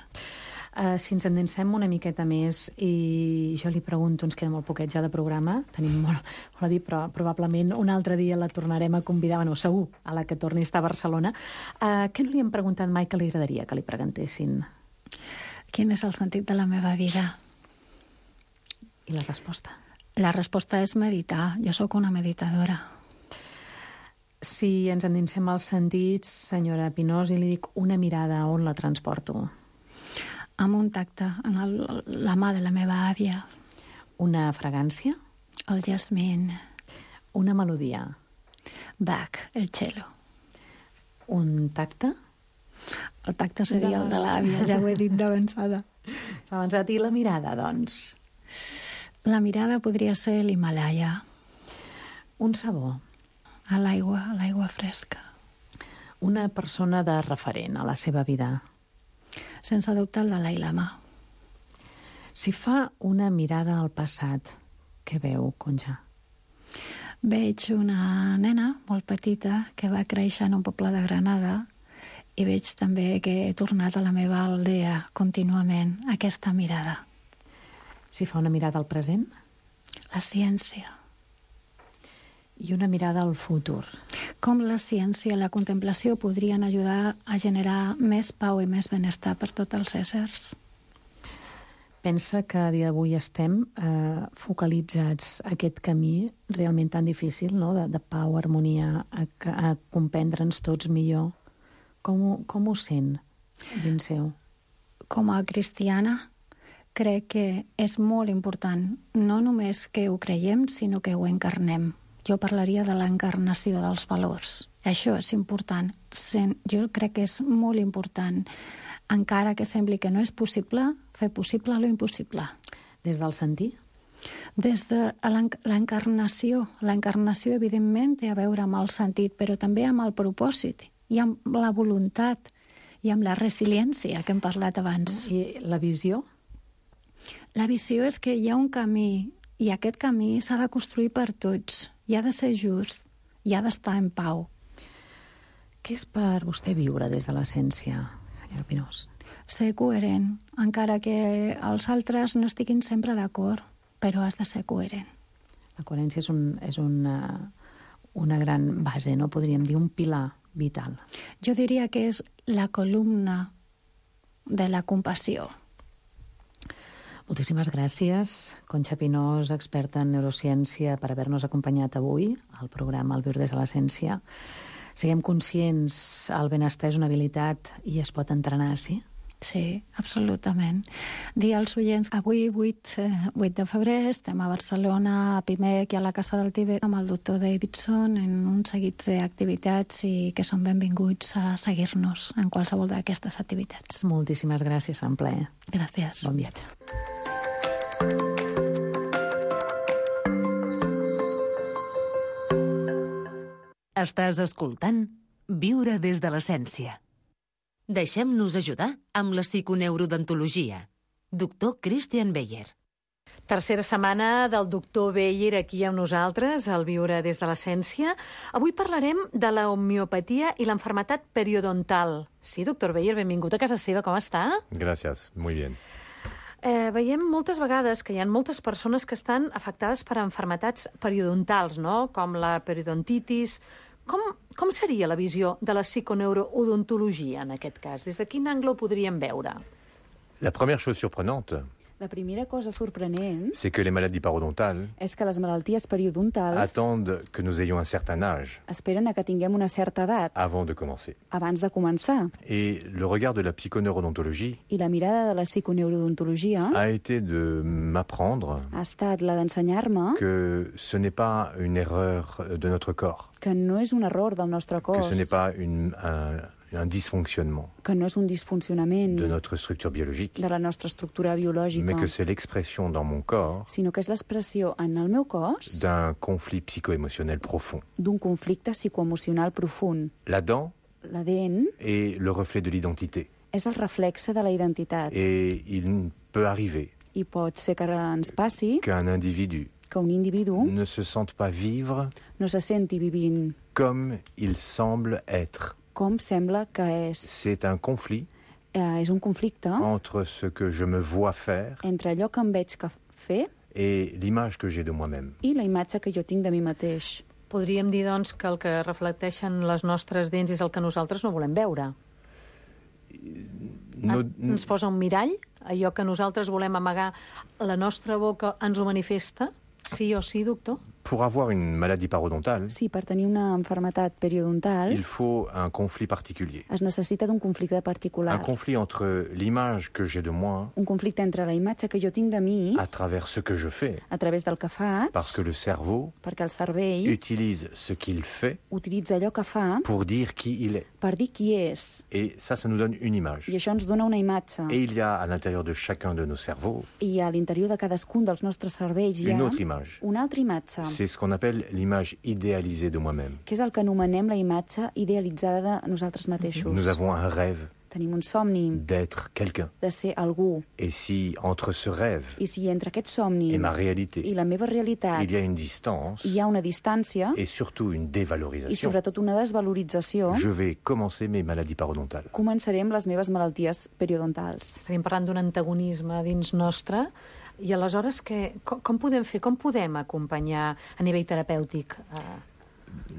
Si ens endinsem una miqueta més i jo li pregunto, ens queda molt poquet ja de programa, tenim molt a dir, però probablement un altre dia la tornarem a convidar, bueno, segur, a la que torni a estar a Barcelona. Què no li hem preguntat mai que li agradaria que li preguntessin? Quin és el sentit de la meva vida? I la resposta? La resposta és meditar. Jo sóc una meditadora. Si ens endinsem als sentits, senyora Pinós, i li dic una mirada, on la transporto? Amb un tacte, en la mà de la meva àvia. Una fragància? El jasmín. Una melodia? Bach, el cello. Un tacte? El tacte seria el de l'àvia, ja ho he dit d'avançada. S'ha avançat. I la mirada, doncs? La mirada podria ser l'Himalaya. Un sabor? A l'aigua fresca. Una persona de referent a la seva vida? Sense dubte el Dalai Lama. Si fa una mirada al passat, què veu, Concha? Veig una nena molt petita que va créixer en un poble de Granada i veig també que he tornat a la meva aldea contínuament, aquesta mirada. Si fa una mirada al present? La ciència. I una mirada al futur. Com la ciència i la contemplació podrien ajudar a generar més pau i més benestar per tots els éssers? Pensa que a dia d'avui estem focalitzats a aquest camí realment tan difícil, no? de pau, harmonia, a comprendre'ns tots millor. Com ho sent dins seu? Com a cristiana, crec que és molt important no només que ho creiem, sinó que ho encarnem. Jo parlaria de l'encarnació dels valors. Això és important. Jo crec que és molt important, encara que sembli que no és possible, fer possible lo impossible. Des del sentir? Des de l'encarnació. L'encarnació, evidentment, té a veure amb el sentit, però també amb el propòsit, i amb la voluntat, i amb la resiliència que hem parlat abans. I la visió? La visió és que hi ha un camí, i aquest camí s'ha de construir per tots. I ha de ser just, i ha d'estar en pau. Què és per vostè viure des de l'essència, senyora Pinós? Ser coherent, encara que els altres no estiguin sempre d'acord, però has de ser coherent. La coherència és una gran base, no? Podríem dir un pilar vital. Jo diria que és la columna de la compassió. Moltíssimes gràcies, Concha Pinós, experta en neurociència, per haver-nos acompanyat avui al programa El viure des de l'essència. Siguem conscients, el benestar és una habilitat i es pot entrenar, sí? Sí, absolutament. Dir als oients, avui 8 de febrer estem a Barcelona, a Pimec i a la Casa del Tibet amb el doctor Davidson en un seguit d'activitats i que són benvinguts a seguir-nos en qualsevol d'aquestes activitats. Moltíssimes gràcies, en ple. Gràcies. Bon viatge. Estàs escoltant Viure des de l'essència. Deixem-nos ajudar amb la psiconeurodontologia. Doctor Christian Beyer. Tercera setmana del doctor Beyer aquí amb nosaltres, al Viure des de l'essència. Avui parlarem de la homeopatia i l'enfermetat periodontal. Sí, doctor Beyer, benvingut a casa seva, com està? Gracias, muy bien. Veiem moltes vegades que hi ha moltes persones que estan afectades per enfermetats periodontals, no? Com la periodontitis. Com seria la visió de la psiconeurodontologia en aquest cas? Des de quin angle ho podríem veure? La première chose surprenante, La primera cosa sorprenent c'est que les maladies parodontales és que les malalties periodontals attendent que nous ayons un certain âge esperen a que tinguem una certa edat avant de commencer. abans de començar. Et le regard de la psychoneurodontologie I la mirada de la psiconeurodontologia a été de m'apprendre ha estat la d'ensenyar-me que ce n'est pas une erreur de notre corps, que no és un error del nostre que cos, ce n'est pas un dysfonctionnement que no és un disfuncionament de notre structure biologique, de la nostra estructura biològica, mais que c'est l'expression dans mon corps sinó que és l'expressió en el meu cos d'un conflit psycho-émotionnel profond. d'un conflicte psicoemocional profund. La dent La dent est le reflet de l'identité. és el reflexe de la identitat Et il peut arriver i pot ser que ens passi qu'un individu que un individu ne se sente pas vivre no se senti vivint comme il semble être. com sembla que és. C'est un conflit és un conflicte entre ce que je me vois faire entre allò que em veig fer et l'image que j'ai de moi-même. i la imatge que jo tinc de mi mateix. Podríem dir, doncs, que el que reflecteixen les nostres dents és el que nosaltres no volem veure. Ens posa un mirall, allò que nosaltres volem amagar, la nostra boca ens ho manifesta, sí o sí, doctor? Pour avoir une maladie parodontale, Sí, per tenir una malaltia periodontal il faut un conflit particulier. es necessita d'un conflicte particular. Un conflit entre l'image que j'ai de moi Un conflicte entre la imatge que jo tinc de mi à travers ce que je fais, a través del que faig, parce que le cerveau perquè el cervell utilise ce qu'il fait utilitza allò que fa pour dire qui il est. per dir qui és. Et ça nous donne une image. I això ens dona una imatge. Et il y a à l'intérieur de chacun de nos cerveaux I a l'interior de cadascun dels nostres cervells hi une ha autre image. una altra imatge, C'est ce qu'on appelle l'image idéalisée de moi-même. que és el que anomenem la imatge idealitzada de nosaltres mateixos. Nous avons un rêve Tenim un somni d'être quelqu'un. de ser algú. Et si entre ce rêve I si entre aquest somni et ma réalité, i la meva realitat il y a une distance hi ha una distància et surtout une i dévalorisation, sobretot una desvalorització, je vais commencer mes maladies parodontales. començaré amb les meves malalties periodontals. Estaríem parlant d'un antagonisme dins nostre. I aleshores, com podem fer? Com podem acompanyar a nivell terapèutic?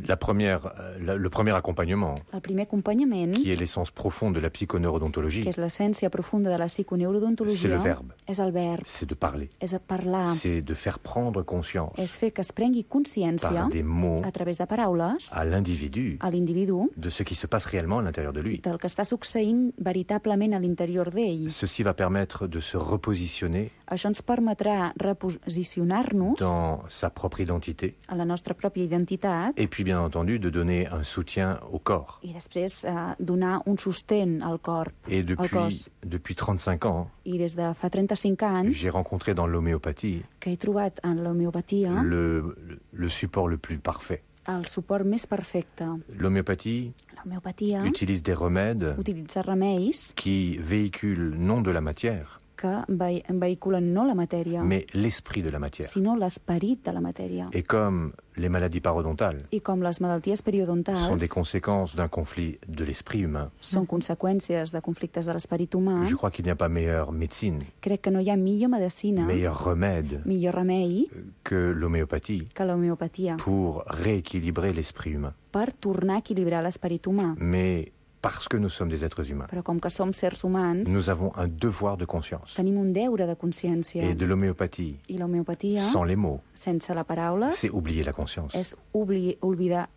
Le premier accompagnement, El primer acompanyament, qui est l'essence profonde de la psychoneurodontologie, que és l'essència profunda de la c'est psiconeurodontologia, le verbe, és el verb, c'est de parler, és a parlar, c'est de faire prendre conscience és fer que es prengui consciència par des mots a través de paraules à l'individu a l'individu de ce qui se passe réellement à l'intérieur de lui. del que està succeint veritablement a l'interior d'ell. Ceci va permettre de se repositionner Això ens permetrà reposicionar-nos dans sa propre identité a la nostra pròpia identitat et puis bien entendu de donner un soutien au corps. i després donar un sostén al corp, Et al cos. depuis 35 ans, I des de fa 35 anys j'ai rencontré dans l'homéopathie que he trobat en l'homeopatia le support le plus parfait. el suport més perfecte. L'homéopathie L'homeopatia utilise des remèdes utilitza remeis qui véhiculent non de la matière, que vehiculen no la matèria, mais l'esprit de la matière. sinó l'esperit de la matèria. Et comme les maladies parodontales I com les malalties sont periodontals des conséquences d'un conflit de l'esprit humain, són conseqüències de conflictes de l'esperit humà, je crois qu'il n'y a pas meilleure médecine, crec que no hi ha millor medicina, meilleur remède millor remei que l'homéopathie que l'homeopatia pour rééquilibrer l'esprit humain. per tornar a equilibrar l'esperit humà. Mais parce que nous sommes des êtres humains, Però com que som sers humans, nous avons un devoir de conscience. tenim un deure de consciència. Et de l'homéopathie, I l'homeopatia, sans les mots, sense la paraula, c'est oublier la conscience. és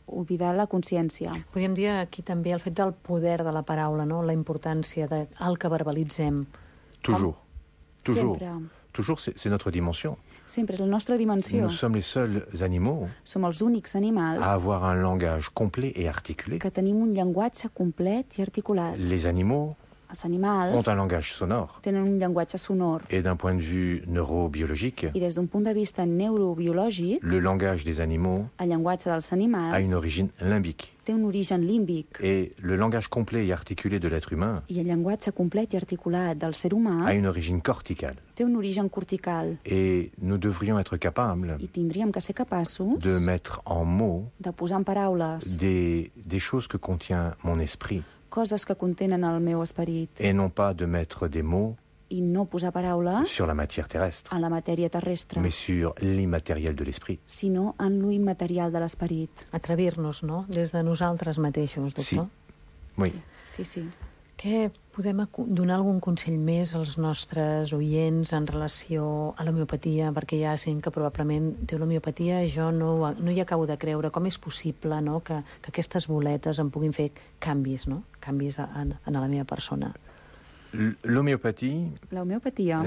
oblidar la consciència. Podríem dir aquí també el fet del poder de la paraula, no? La importància del que verbalitzem. Toujours. Toujours. Sempre. Toujours, c'est notre dimension. Sempre és la nostra dimensió. Nous sommes les seuls animaux Som els únics animals à avoir un langage complet et articulé. que tenim un llenguatge complet i articulat. Les animaux Els animals ont un langage sonore. tenen un llenguatge sonor. Et d'un point de vue neurobiologique, I des d'un punt de vista neurobiològic, le langage des animaux el llenguatge dels animals a une origine limbique. té un origen límbic. Et le langage complet et articulé de l'être humain I el llenguatge complet i articulat del ser humà a une origine corticale. té un origen cortical. Et nous devrions être capables I tindríem que ser capaços de mettre en mots de posar en paraules des choses que contient mon esprit, coses que contenen el meu esperit et non pas de mettre des mots i no posar paraules sur la matière terrestre, en la matèria terrestre, mais sur l'immatériel de l'esprit. sinó en lo immaterial de l'esperit. Atrevir-nos, no?, des de nosaltres mateixos, doctor. Sí. Oui. Sí, sí. Què podem donar algun consell més als nostres oients en relació a l'homeopatia? Perquè hi ha gent que probablement diu l'homeopatia, jo no hi acabo de creure. Com és possible, no?, que aquestes boletes em puguin fer canvis, no?, canvis en la meva persona. L'homéopathie, L'homeopatia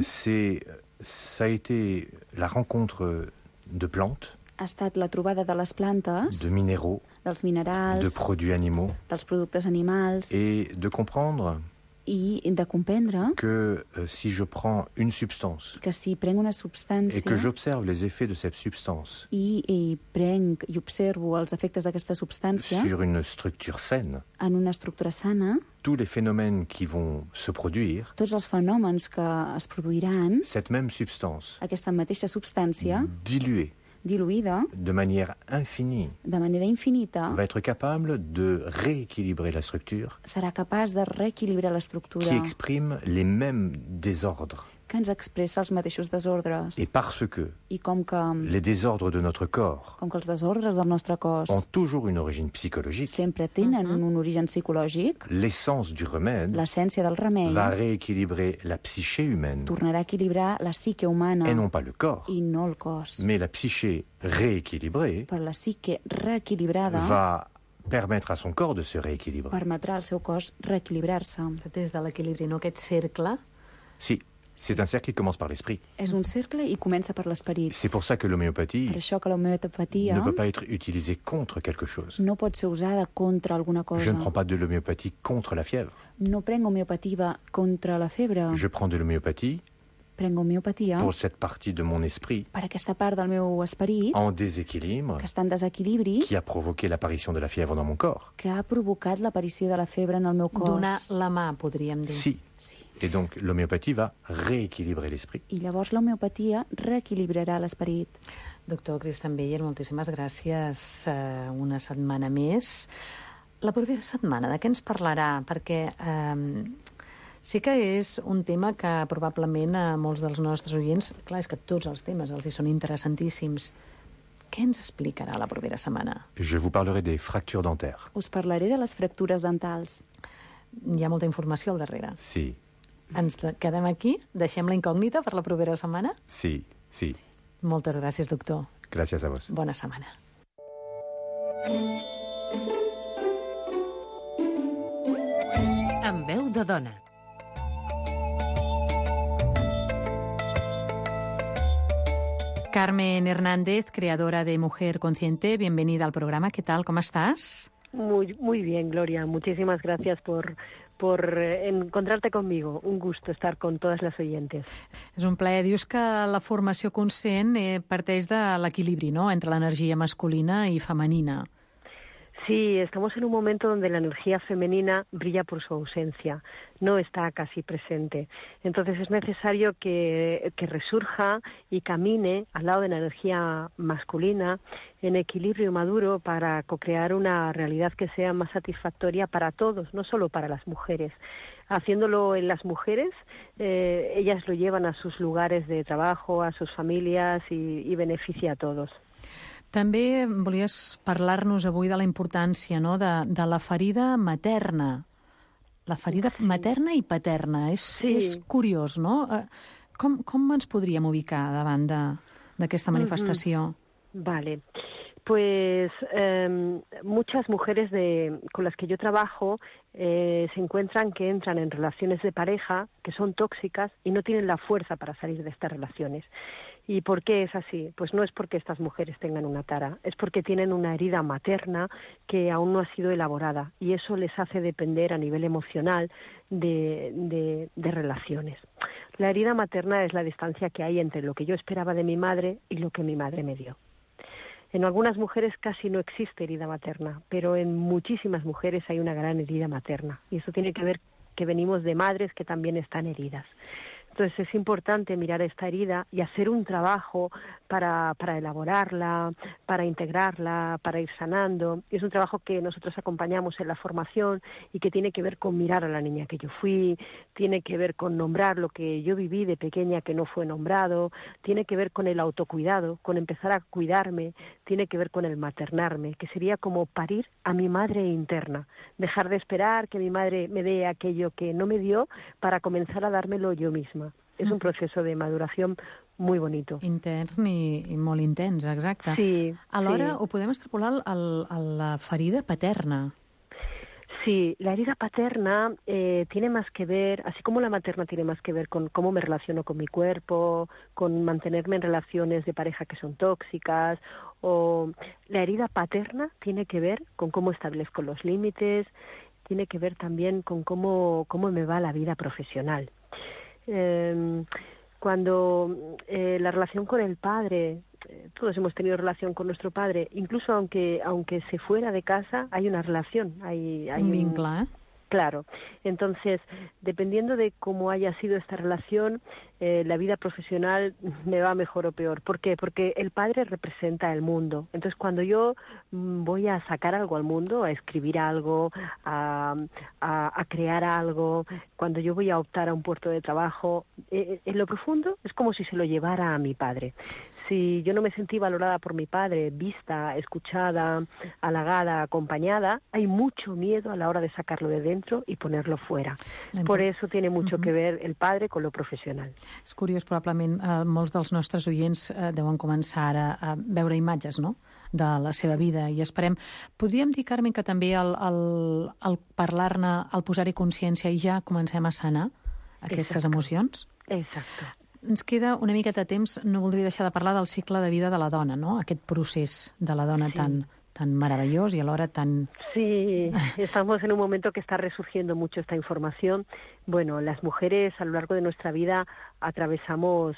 ça a été la rencontre de plantes, ha estat la trobada de les plantes, de minéraux, dels minerals, de produits animaux, dels productes animals, et de comprendre i de comprendre que si je prends une substance que si prenc una substància et que j'observe les effets de cette substance i prenc i observo els efectes d'aquesta substància sur une structure saine, en una estructura sana, tous les phénomènes qui vont se produire, tots els fenòmens que es produiran, cette même substance aquesta mateixa substància diluée diluïda, de manière infinie, de manera infinita, va être capable de rééquilibrer la structure serà capaç de reequilibrar l'estructura qui exprime les mêmes désordres. que ens expressa els mateixos desordres. Et parce que I com que les désordres de notre corps els desordres del nostre cos ont toujours une origine psychologique, sempre tenen un origen psicològic, l'essence du remède l'essència del remei va rééquilibrer la psyché humaine tornarà a equilibrar la psique humana et non pas le corps. i no el cos. Mais la psyché rééquilibrée Per la psique reequilibrada va permettre à son corps de se rééquilibrer. permetrà al seu cos reequilibrar-se. Des de l'equilibri, no? Aquest cercle. Si, c'est un cercle qui commence par l'esprit. És un cercle i comença per l'esperit. C'est pour ça que l'homéopathie Per això que l'homeopatia ne peut pas être utilisée contre quelque chose. no pot ser usada contra alguna cosa. Je ne prends pas de l'homéopathie contre la fièvre. No prenc homeopatia contra la febre. Je prends de l'homéopathie Prenc homeopatia pour cette partie de mon esprit per aquesta part del meu esperit en déséquilibre que està en desequilibri, qui a provoqué l'apparition de la fièvre dans mon corps. que ha provocat l'aparició de la febre en el meu cos. Donar la mà, podríem dir. Si. Et donc l'homéopathie va rééquilibrer l'esprit. I llavors l'homeopatia reequilibrarà l'esperit. Doctor Cristian Beyer, moltíssimes gràcies. Una setmana més. La propera setmana, de què ens parlarà? Perquè sí que és un tema que probablement a molts dels nostres oients, clar, és que tots els temes els hi són interessantíssims. Què ens explicarà la propera setmana? Je vous parlerai des fractures dentaires. Us parlaré de les fractures dentals. Hi ha molta informació al darrere. Si. Ens quedem aquí? Deixem la incògnita per la propera setmana? Si. Moltes gràcies, doctor. Gràcies a vos. Bona setmana. Amb veu de dona. Carmen Hernández, creadora de Mujer Consciente, bienvenida al programa. ¿Qué tal? ¿Cómo estás? Muy bien, Gloria. Muchísimas gracias por encontrarte conmigo. Un gusto estar con todas las oyentes. És un plaer. Dius que la formació conscient parteix de l'equilibri, no?, entre l'energia masculina i femenina. Sí, estamos en un momento donde la energía femenina brilla por su ausencia, no está casi presente. Entonces es necesario que resurja y camine al lado de la energía masculina en equilibrio maduro para co-crear una realidad que sea más satisfactoria para todos, no solo para las mujeres. Haciéndolo en las mujeres, ellas lo llevan a sus lugares de trabajo, a sus familias y beneficia a todos. També volies parlar-nos avui de la importància, no?, de la ferida materna. La ferida materna i paterna. És curiós, no? Com ens podríem ubicar davant d'aquesta manifestació? Vale. Pues muchas mujeres con las que yo trabajo se encuentran que entran en relaciones de pareja que son tóxicas y no tienen la fuerza para salir de estas relaciones. ¿Y por qué es así? Pues no es porque estas mujeres tengan una tara, es porque tienen una herida materna que aún no ha sido elaborada y eso les hace depender a nivel emocional de relaciones. La herida materna es la distancia que hay entre lo que yo esperaba de mi madre y lo que mi madre me dio. En algunas mujeres casi no existe herida materna, pero en muchísimas mujeres hay una gran herida materna. Y eso tiene que ver que venimos de madres que también están heridas. Entonces es importante mirar esta herida y hacer un trabajo para elaborarla, para integrarla, para ir sanando. Y es un trabajo que nosotros acompañamos en la formación y que tiene que ver con mirar a la niña que yo fui, tiene que ver con nombrar lo que yo viví de pequeña que no fue nombrado, tiene que ver con el autocuidado, con empezar a cuidarme, tiene que ver con el maternarme, que sería como parir a mi madre interna, dejar de esperar que mi madre me dé aquello que no me dio para comenzar a dármelo yo misma. És un procés de maduració molt bonito. Intern i molt intens, exacte. Sí. Alhora ho podem extrapolar a la ferida paterna. Sí, la herida paterna tiene más que ver, así como la materna tiene más que ver con cómo me relaciono con mi cuerpo, con mantenerme en relaciones de pareja que son tóxicas, o la herida paterna tiene que ver con cómo establezco los límites, tiene que ver también con cómo me va la vida profesional. Cuando la relación con el padre, todos hemos tenido relación con nuestro padre, incluso aunque se fuera de casa, hay una relación, hay un vincle, Claro. Entonces, dependiendo de cómo haya sido esta relación, la vida profesional me va mejor o peor. ¿Por qué? Porque el padre representa el mundo. Entonces, cuando yo voy a sacar algo al mundo, a escribir algo, a crear algo, cuando yo voy a optar a un puesto de trabajo, en lo profundo es como si se lo llevara a mi padre. Si yo no me sentí valorada por mi padre, vista, escuchada, halagada, acompañada, hay mucho miedo a la hora de sacarlo de dentro i ponerlo fuera. Por eso tiene mucho que ver el padre con lo professional. És curiós, probablement molts dels nostres oients deuen començar ara a veure imatges, no?, de la seva vida, i esperem... Podríem dir, Carmen, que també al parlar-ne, al posar-hi consciència, i ja comencem a sanar aquestes emocions? Exacte. Ens queda una miqueta de temps, no voldria deixar de parlar del cicle de vida de la dona, no? Aquest procés de la dona tan maravillós y alhora tan... Sí, estamos en un momento que está resurgiendo mucho esta información. Bueno, las mujeres a lo largo de nuestra vida atravesamos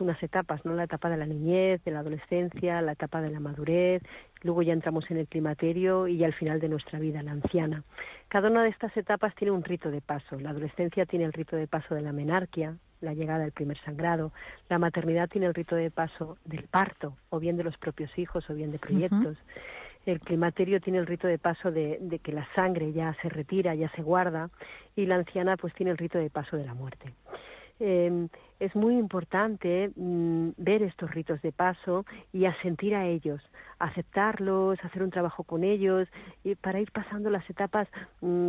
unas etapas, ¿no? La etapa de la niñez, de la adolescencia, la etapa de la madurez, luego ya entramos en el climaterio y ya al final de nuestra vida, la anciana. Cada una de estas etapas tiene un rito de paso. La adolescencia tiene el rito de paso de la menarquia, la llegada del primer sangrado. La maternidad tiene el rito de paso del parto, o bien de los propios hijos, o bien de proyectos. El climaterio tiene el rito de paso de que la sangre ya se retira, ya se guarda, y la anciana pues tiene el rito de paso de la muerte. Es muy importante ver estos ritos de paso y asentir a ellos, aceptarlos, hacer un trabajo con ellos, y para ir pasando las etapas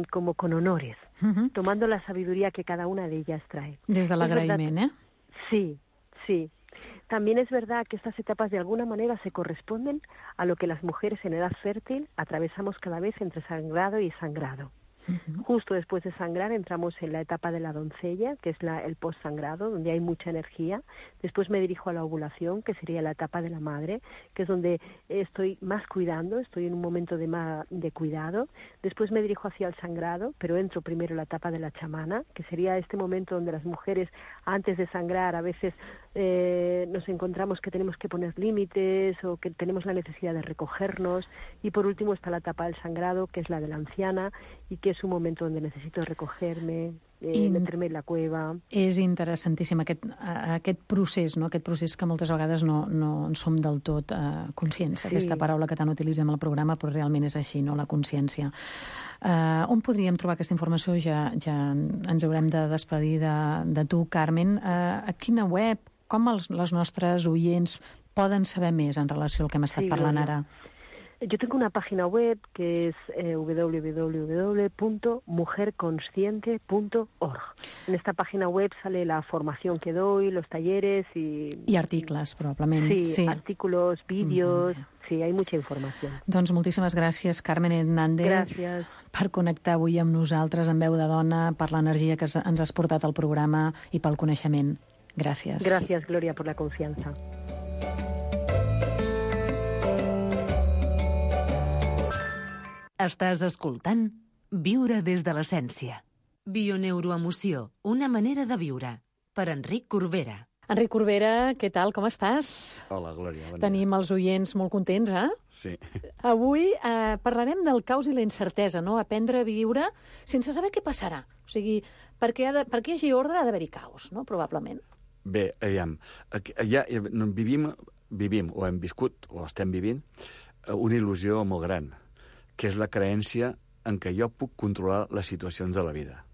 como con honores, tomando la sabiduría que cada una de ellas trae. Desde l'agraïment, ¿eh? Sí, sí. También es verdad que estas etapas de alguna manera se corresponden a lo que las mujeres en edad fértil atravesamos cada vez entre sangrado y sangrado. Justo después de sangrar entramos en la etapa de la doncella, que es el postsangrado, donde hay mucha energía. Después me dirijo a la ovulación, que sería la etapa de la madre, que es donde estoy más cuidando, estoy en un momento de cuidado. Después me dirijo hacia el sangrado, pero entro primero en la etapa de la chamana, que sería este momento donde las mujeres, antes de sangrar, a veces nos encontramos que tenemos que poner límites o que tenemos la necesidad de recogernos. Y por último está la etapa del sangrado, que es la de la anciana, y que és un moment on necessito recoger-me, meterme en la cueva. És interessantíssim aquest procés, no? Aquest procés que moltes vegades no en som del tot conscients. Sí. Aquesta paraula que tant utilitzem al programa, però realment és així, no? La consciència. On podríem trobar aquesta informació? Ja ens haurem de despedir de tu, Carmen. A quina web? Com les nostres oients poden saber més en relació al que hem estat parlant ara? Yo tengo una página web que es www.mujerconsciente.org. En esta página web sale la formación que doy, los talleres y... I articles, probablement. Sí, artículos, vídeos... Sí, hay mucha informació. Doncs moltíssimes gràcies, Carmen Hernández, per connectar avui amb nosaltres en Veu de Dona, per l'energia que ens has portat al programa i pel coneixement. Gràcies. Gràcies, Gloria, per la confiança. Estàs escoltant Viure des de l'essència. Bioneuroemoció, una manera de viure. Per Enric Corbera. Enric Corbera, què tal? Com estàs? Hola, Glòria. Bon dia. Tenim els oients molt contents, eh? Sí. Avui parlarem del caos i la incertesa, no? Aprendre a viure sense saber què passarà. O sigui, perquè hi hagi ordre ha d'haver-hi caos, no? Probablement. Bé, aviam. Vivim, o hem viscut, o estem vivint, una il·lusió molt gran, que és la creença en què jo puc controlar les situacions de la vida.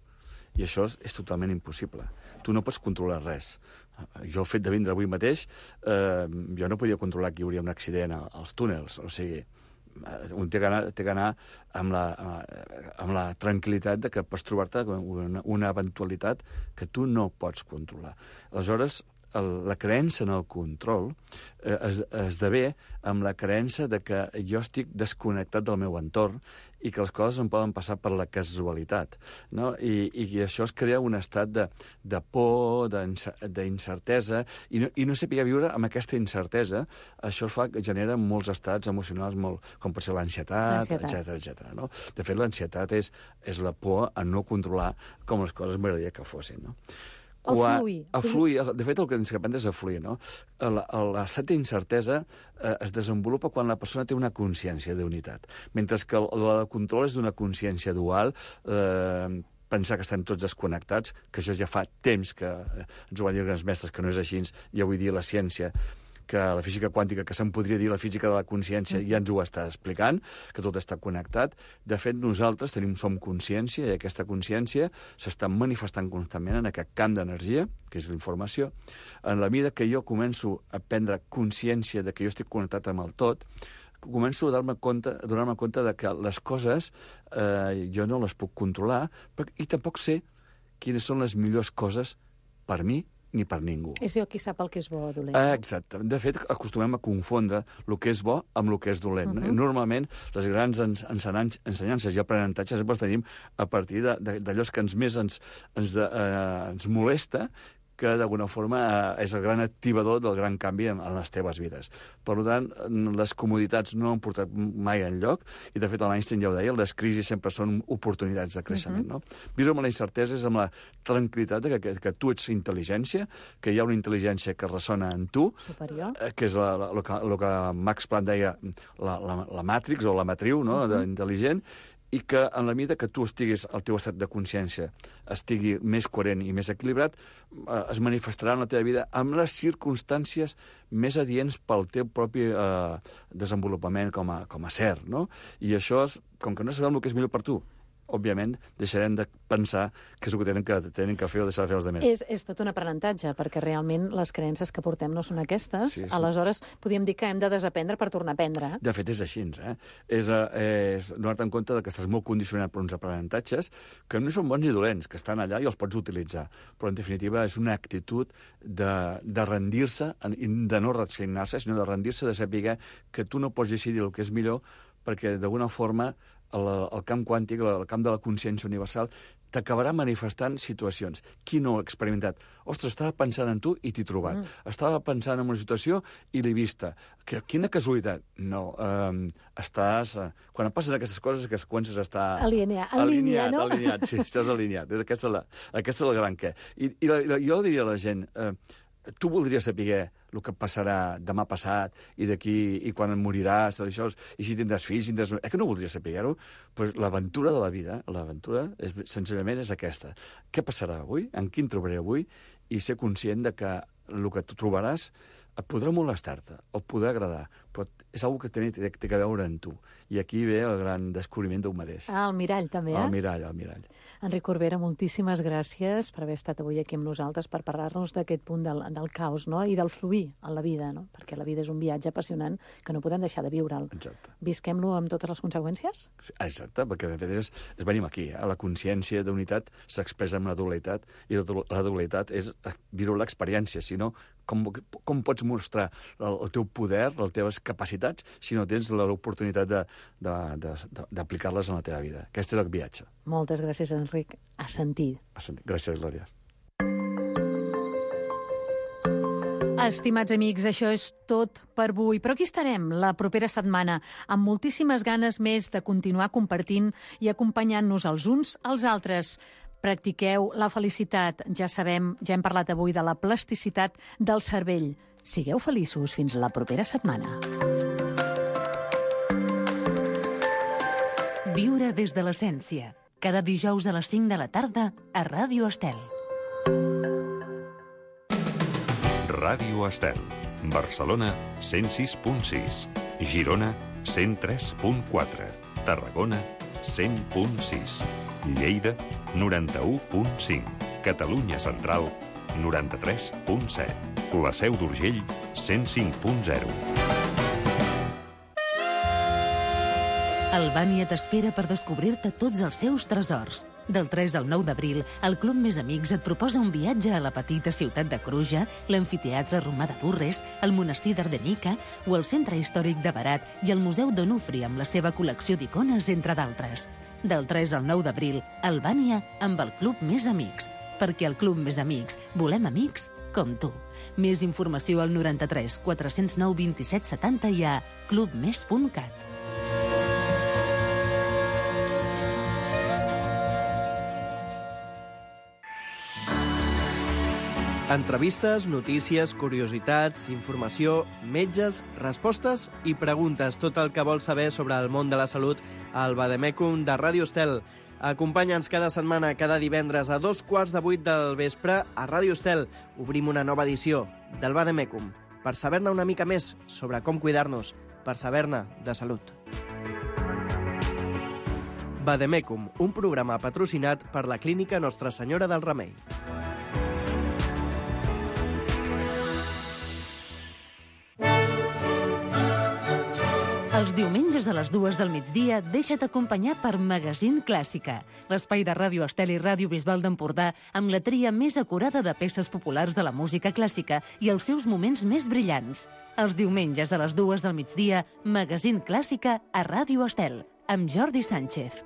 I això és totalment impossible. Tu no pots controlar res. Jo, el fet de vindre avui mateix, jo no podia controlar que hi hauria un accident als túnels. O sigui, un té que anar amb la tranquil·litat de que pots trobar-te una eventualitat que tu no pots controlar. Aleshores, la creença en el control esdevé amb la creença de que jo estic desconnectat del meu entorn i que les coses em poden passar per la casualitat, no? I això es crea un estat de por, d'incertesa, i no saber viure amb aquesta incertesa. Això genera molts estats emocionals, com pot ser l'ansietat, etc. No? De fet, l'ansietat és la por a no controlar com les coses m'agradaria que fossin, no? El fluir. De fet, el que ens aprendre és a fluir, no? L'estat d'incertesa es desenvolupa quan la persona té una consciència d'unitat, mentre que el control és d'una consciència dual, pensar que estem tots desconnectats, que això ja fa temps que ens ho van dir els grans mestres, que no és així, i avui dia la ciència, que la física quàntica, que se'n podria dir la física de la consciència, ja ens ho està explicant, que tot està connectat. De fet, nosaltres som consciència, i aquesta consciència s'està manifestant constantment en aquest camp d'energia, que és l'informació. En la mida que jo començo a prendre consciència de que jo estic connectat amb el tot, començo a donar-me compte de que les coses jo no les puc controlar i tampoc sé quines són les millors coses per mi ni per ningú. És jo qui sap el que és bo o dolent. Exacte. De fet, acostumem a confondre el que és bo amb el que és dolent. Normalment, les grans ensenyances i aprenentatges sempre els tenim a partir d'allò que més ens molesta, que d'alguna forma és el gran activador del gran canvi en les teves vides. Per tant, les comoditats no han portat mai enlloc, i de fet l'Einstein ja ho deia, les crisis sempre són oportunitats de creixement. No? Viure amb la incertesa és amb la tranquil·litat que tu ets intel·ligència, que hi ha una intel·ligència que ressona en tu, superior, que és el que Max Planck deia la Matrix o la matriu, no? Intel·ligent, i que en la mida que tu estiguis, el teu estat de consciència estigui més coherent i més equilibrat, es manifestarà en la teva vida amb les circumstàncies més adients pel teu propi desenvolupament com a ser, no? I això, com que no sabem el que és millor per tu, òbviament, deixarem de pensar que és el que tenen que fer o deixar de fer els altres. És tot un aprenentatge, perquè realment les creences que portem no són aquestes. Sí. Aleshores, podríem dir que hem de desaprendre per tornar a aprendre. De fet, és així, És donar-te en compte que estàs molt condicionat per uns aprenentatges que no són bons ni dolents, que estan allà i els pots utilitzar. Però, en definitiva, és una actitud de rendir-se, de no resignar-se, sinó de rendir-se, de saber que tu no pots decidir el que és millor, perquè, d'alguna forma, el camp quàntic, el camp de la consciència universal, t'acabarà manifestant situacions. Qui no ho ha experimentat? Ostres, estava pensant en tu i t'he trobat. Estava pensant en una situació i l'he vista. Quina casualitat. No, estàs... Quan et passen aquestes coses, que comences a estar... Alineat, sí, estàs alineat. Aquesta és la gran què. I jo diria a la gent... Tu voldries saber el que passarà demà passat i d'aquí i quan moriràs, tot això, i si tindràs fills, que no voldries saber-ho? Pues l'aventura de la vida, senzillament és aquesta. Què passarà avui? En qui em trobaré avui? I ser conscient de que el que tu trobaràs et podrà molestar-te, o et podrà agradar, però és una cosa que té que veure en tu. I aquí ve el gran descobriment d'un mateix. El mirall, també, El mirall. Enric Corbera, moltíssimes gràcies per haver estat avui aquí amb nosaltres per parlar-nos d'aquest punt del caos, no? I del fluir en la vida, no? Perquè la vida és un viatge apassionant que no podem deixar de viure'l. Exacte. Visquem-lo amb totes les conseqüències? Exacte, perquè de fet és venim aquí. La consciència d'unitat s'expressa amb la dualitat, i la dualitat és viure l'experiència, si no, com pots mostrar el teu poder, les teves capacitats, si no tens l'oportunitat d'aplicar-les en la teva vida. Aquest és el viatge. Moltes gràcies, Enric. A sentir. Gràcies, Glòria. Estimats amics, això és tot per avui. Però aquí estarem la propera setmana, amb moltíssimes ganes més de continuar compartint i acompanyant-nos els uns als altres. Practiqueu la felicitat. Ja sabem, ja hem parlat avui de la plasticitat del cervell. Sigueu feliços fins la propera setmana. Viure des de l'essència. Cada dijous a les 5 de la tarda a Ràdio Estel. Ràdio Estel. Barcelona, 106.6. Girona, 103.4. Tarragona, 100.6. Lleida, 91.5. Catalunya Central, 93.7. La Seu d'Urgell, 105.0. Albània t'espera per descobrir-te tots els seus tresors. Del 3 al 9 d'abril, el Club Més Amics et proposa un viatge a la petita ciutat de Cruja, l'amfiteatre romà de Durres, el monestir d'Ardenica o el centre històric de Berat i el Museu d'Onufri amb la seva col·lecció d'icones, entre d'altres. Del 3 al 9 d'abril, Albània amb el Club Més Amics. Perquè al Club Més Amics volem amics com tu. Més informació al 93 409 27 70 i a clubmes.cat. Entrevistes, notícies, curiositats, informació, metges, respostes i preguntes. Tot el que vols saber sobre el món de la salut al Vademecum de Ràdio Estel. Acompanya'ns cada setmana, cada divendres a 7:15 del vespre a Ràdio Estel. Obrim una nova edició del Vademecum per saber-ne una mica més sobre com cuidar-nos, per saber-ne de salut. Vademecum, un programa patrocinat per la Clínica Nostra Senyora del Remei. Els diumenges a les 2 del migdia deixa't acompanyar per Magazín Clàssica, l'espai de Ràdio Estel i Ràdio Bisbal d'Empordà amb la tria més acurada de peces populars de la música clàssica i els seus moments més brillants. Els diumenges a les 2 del migdia, Magazín Clàssica a Ràdio Estel, amb Jordi Sánchez.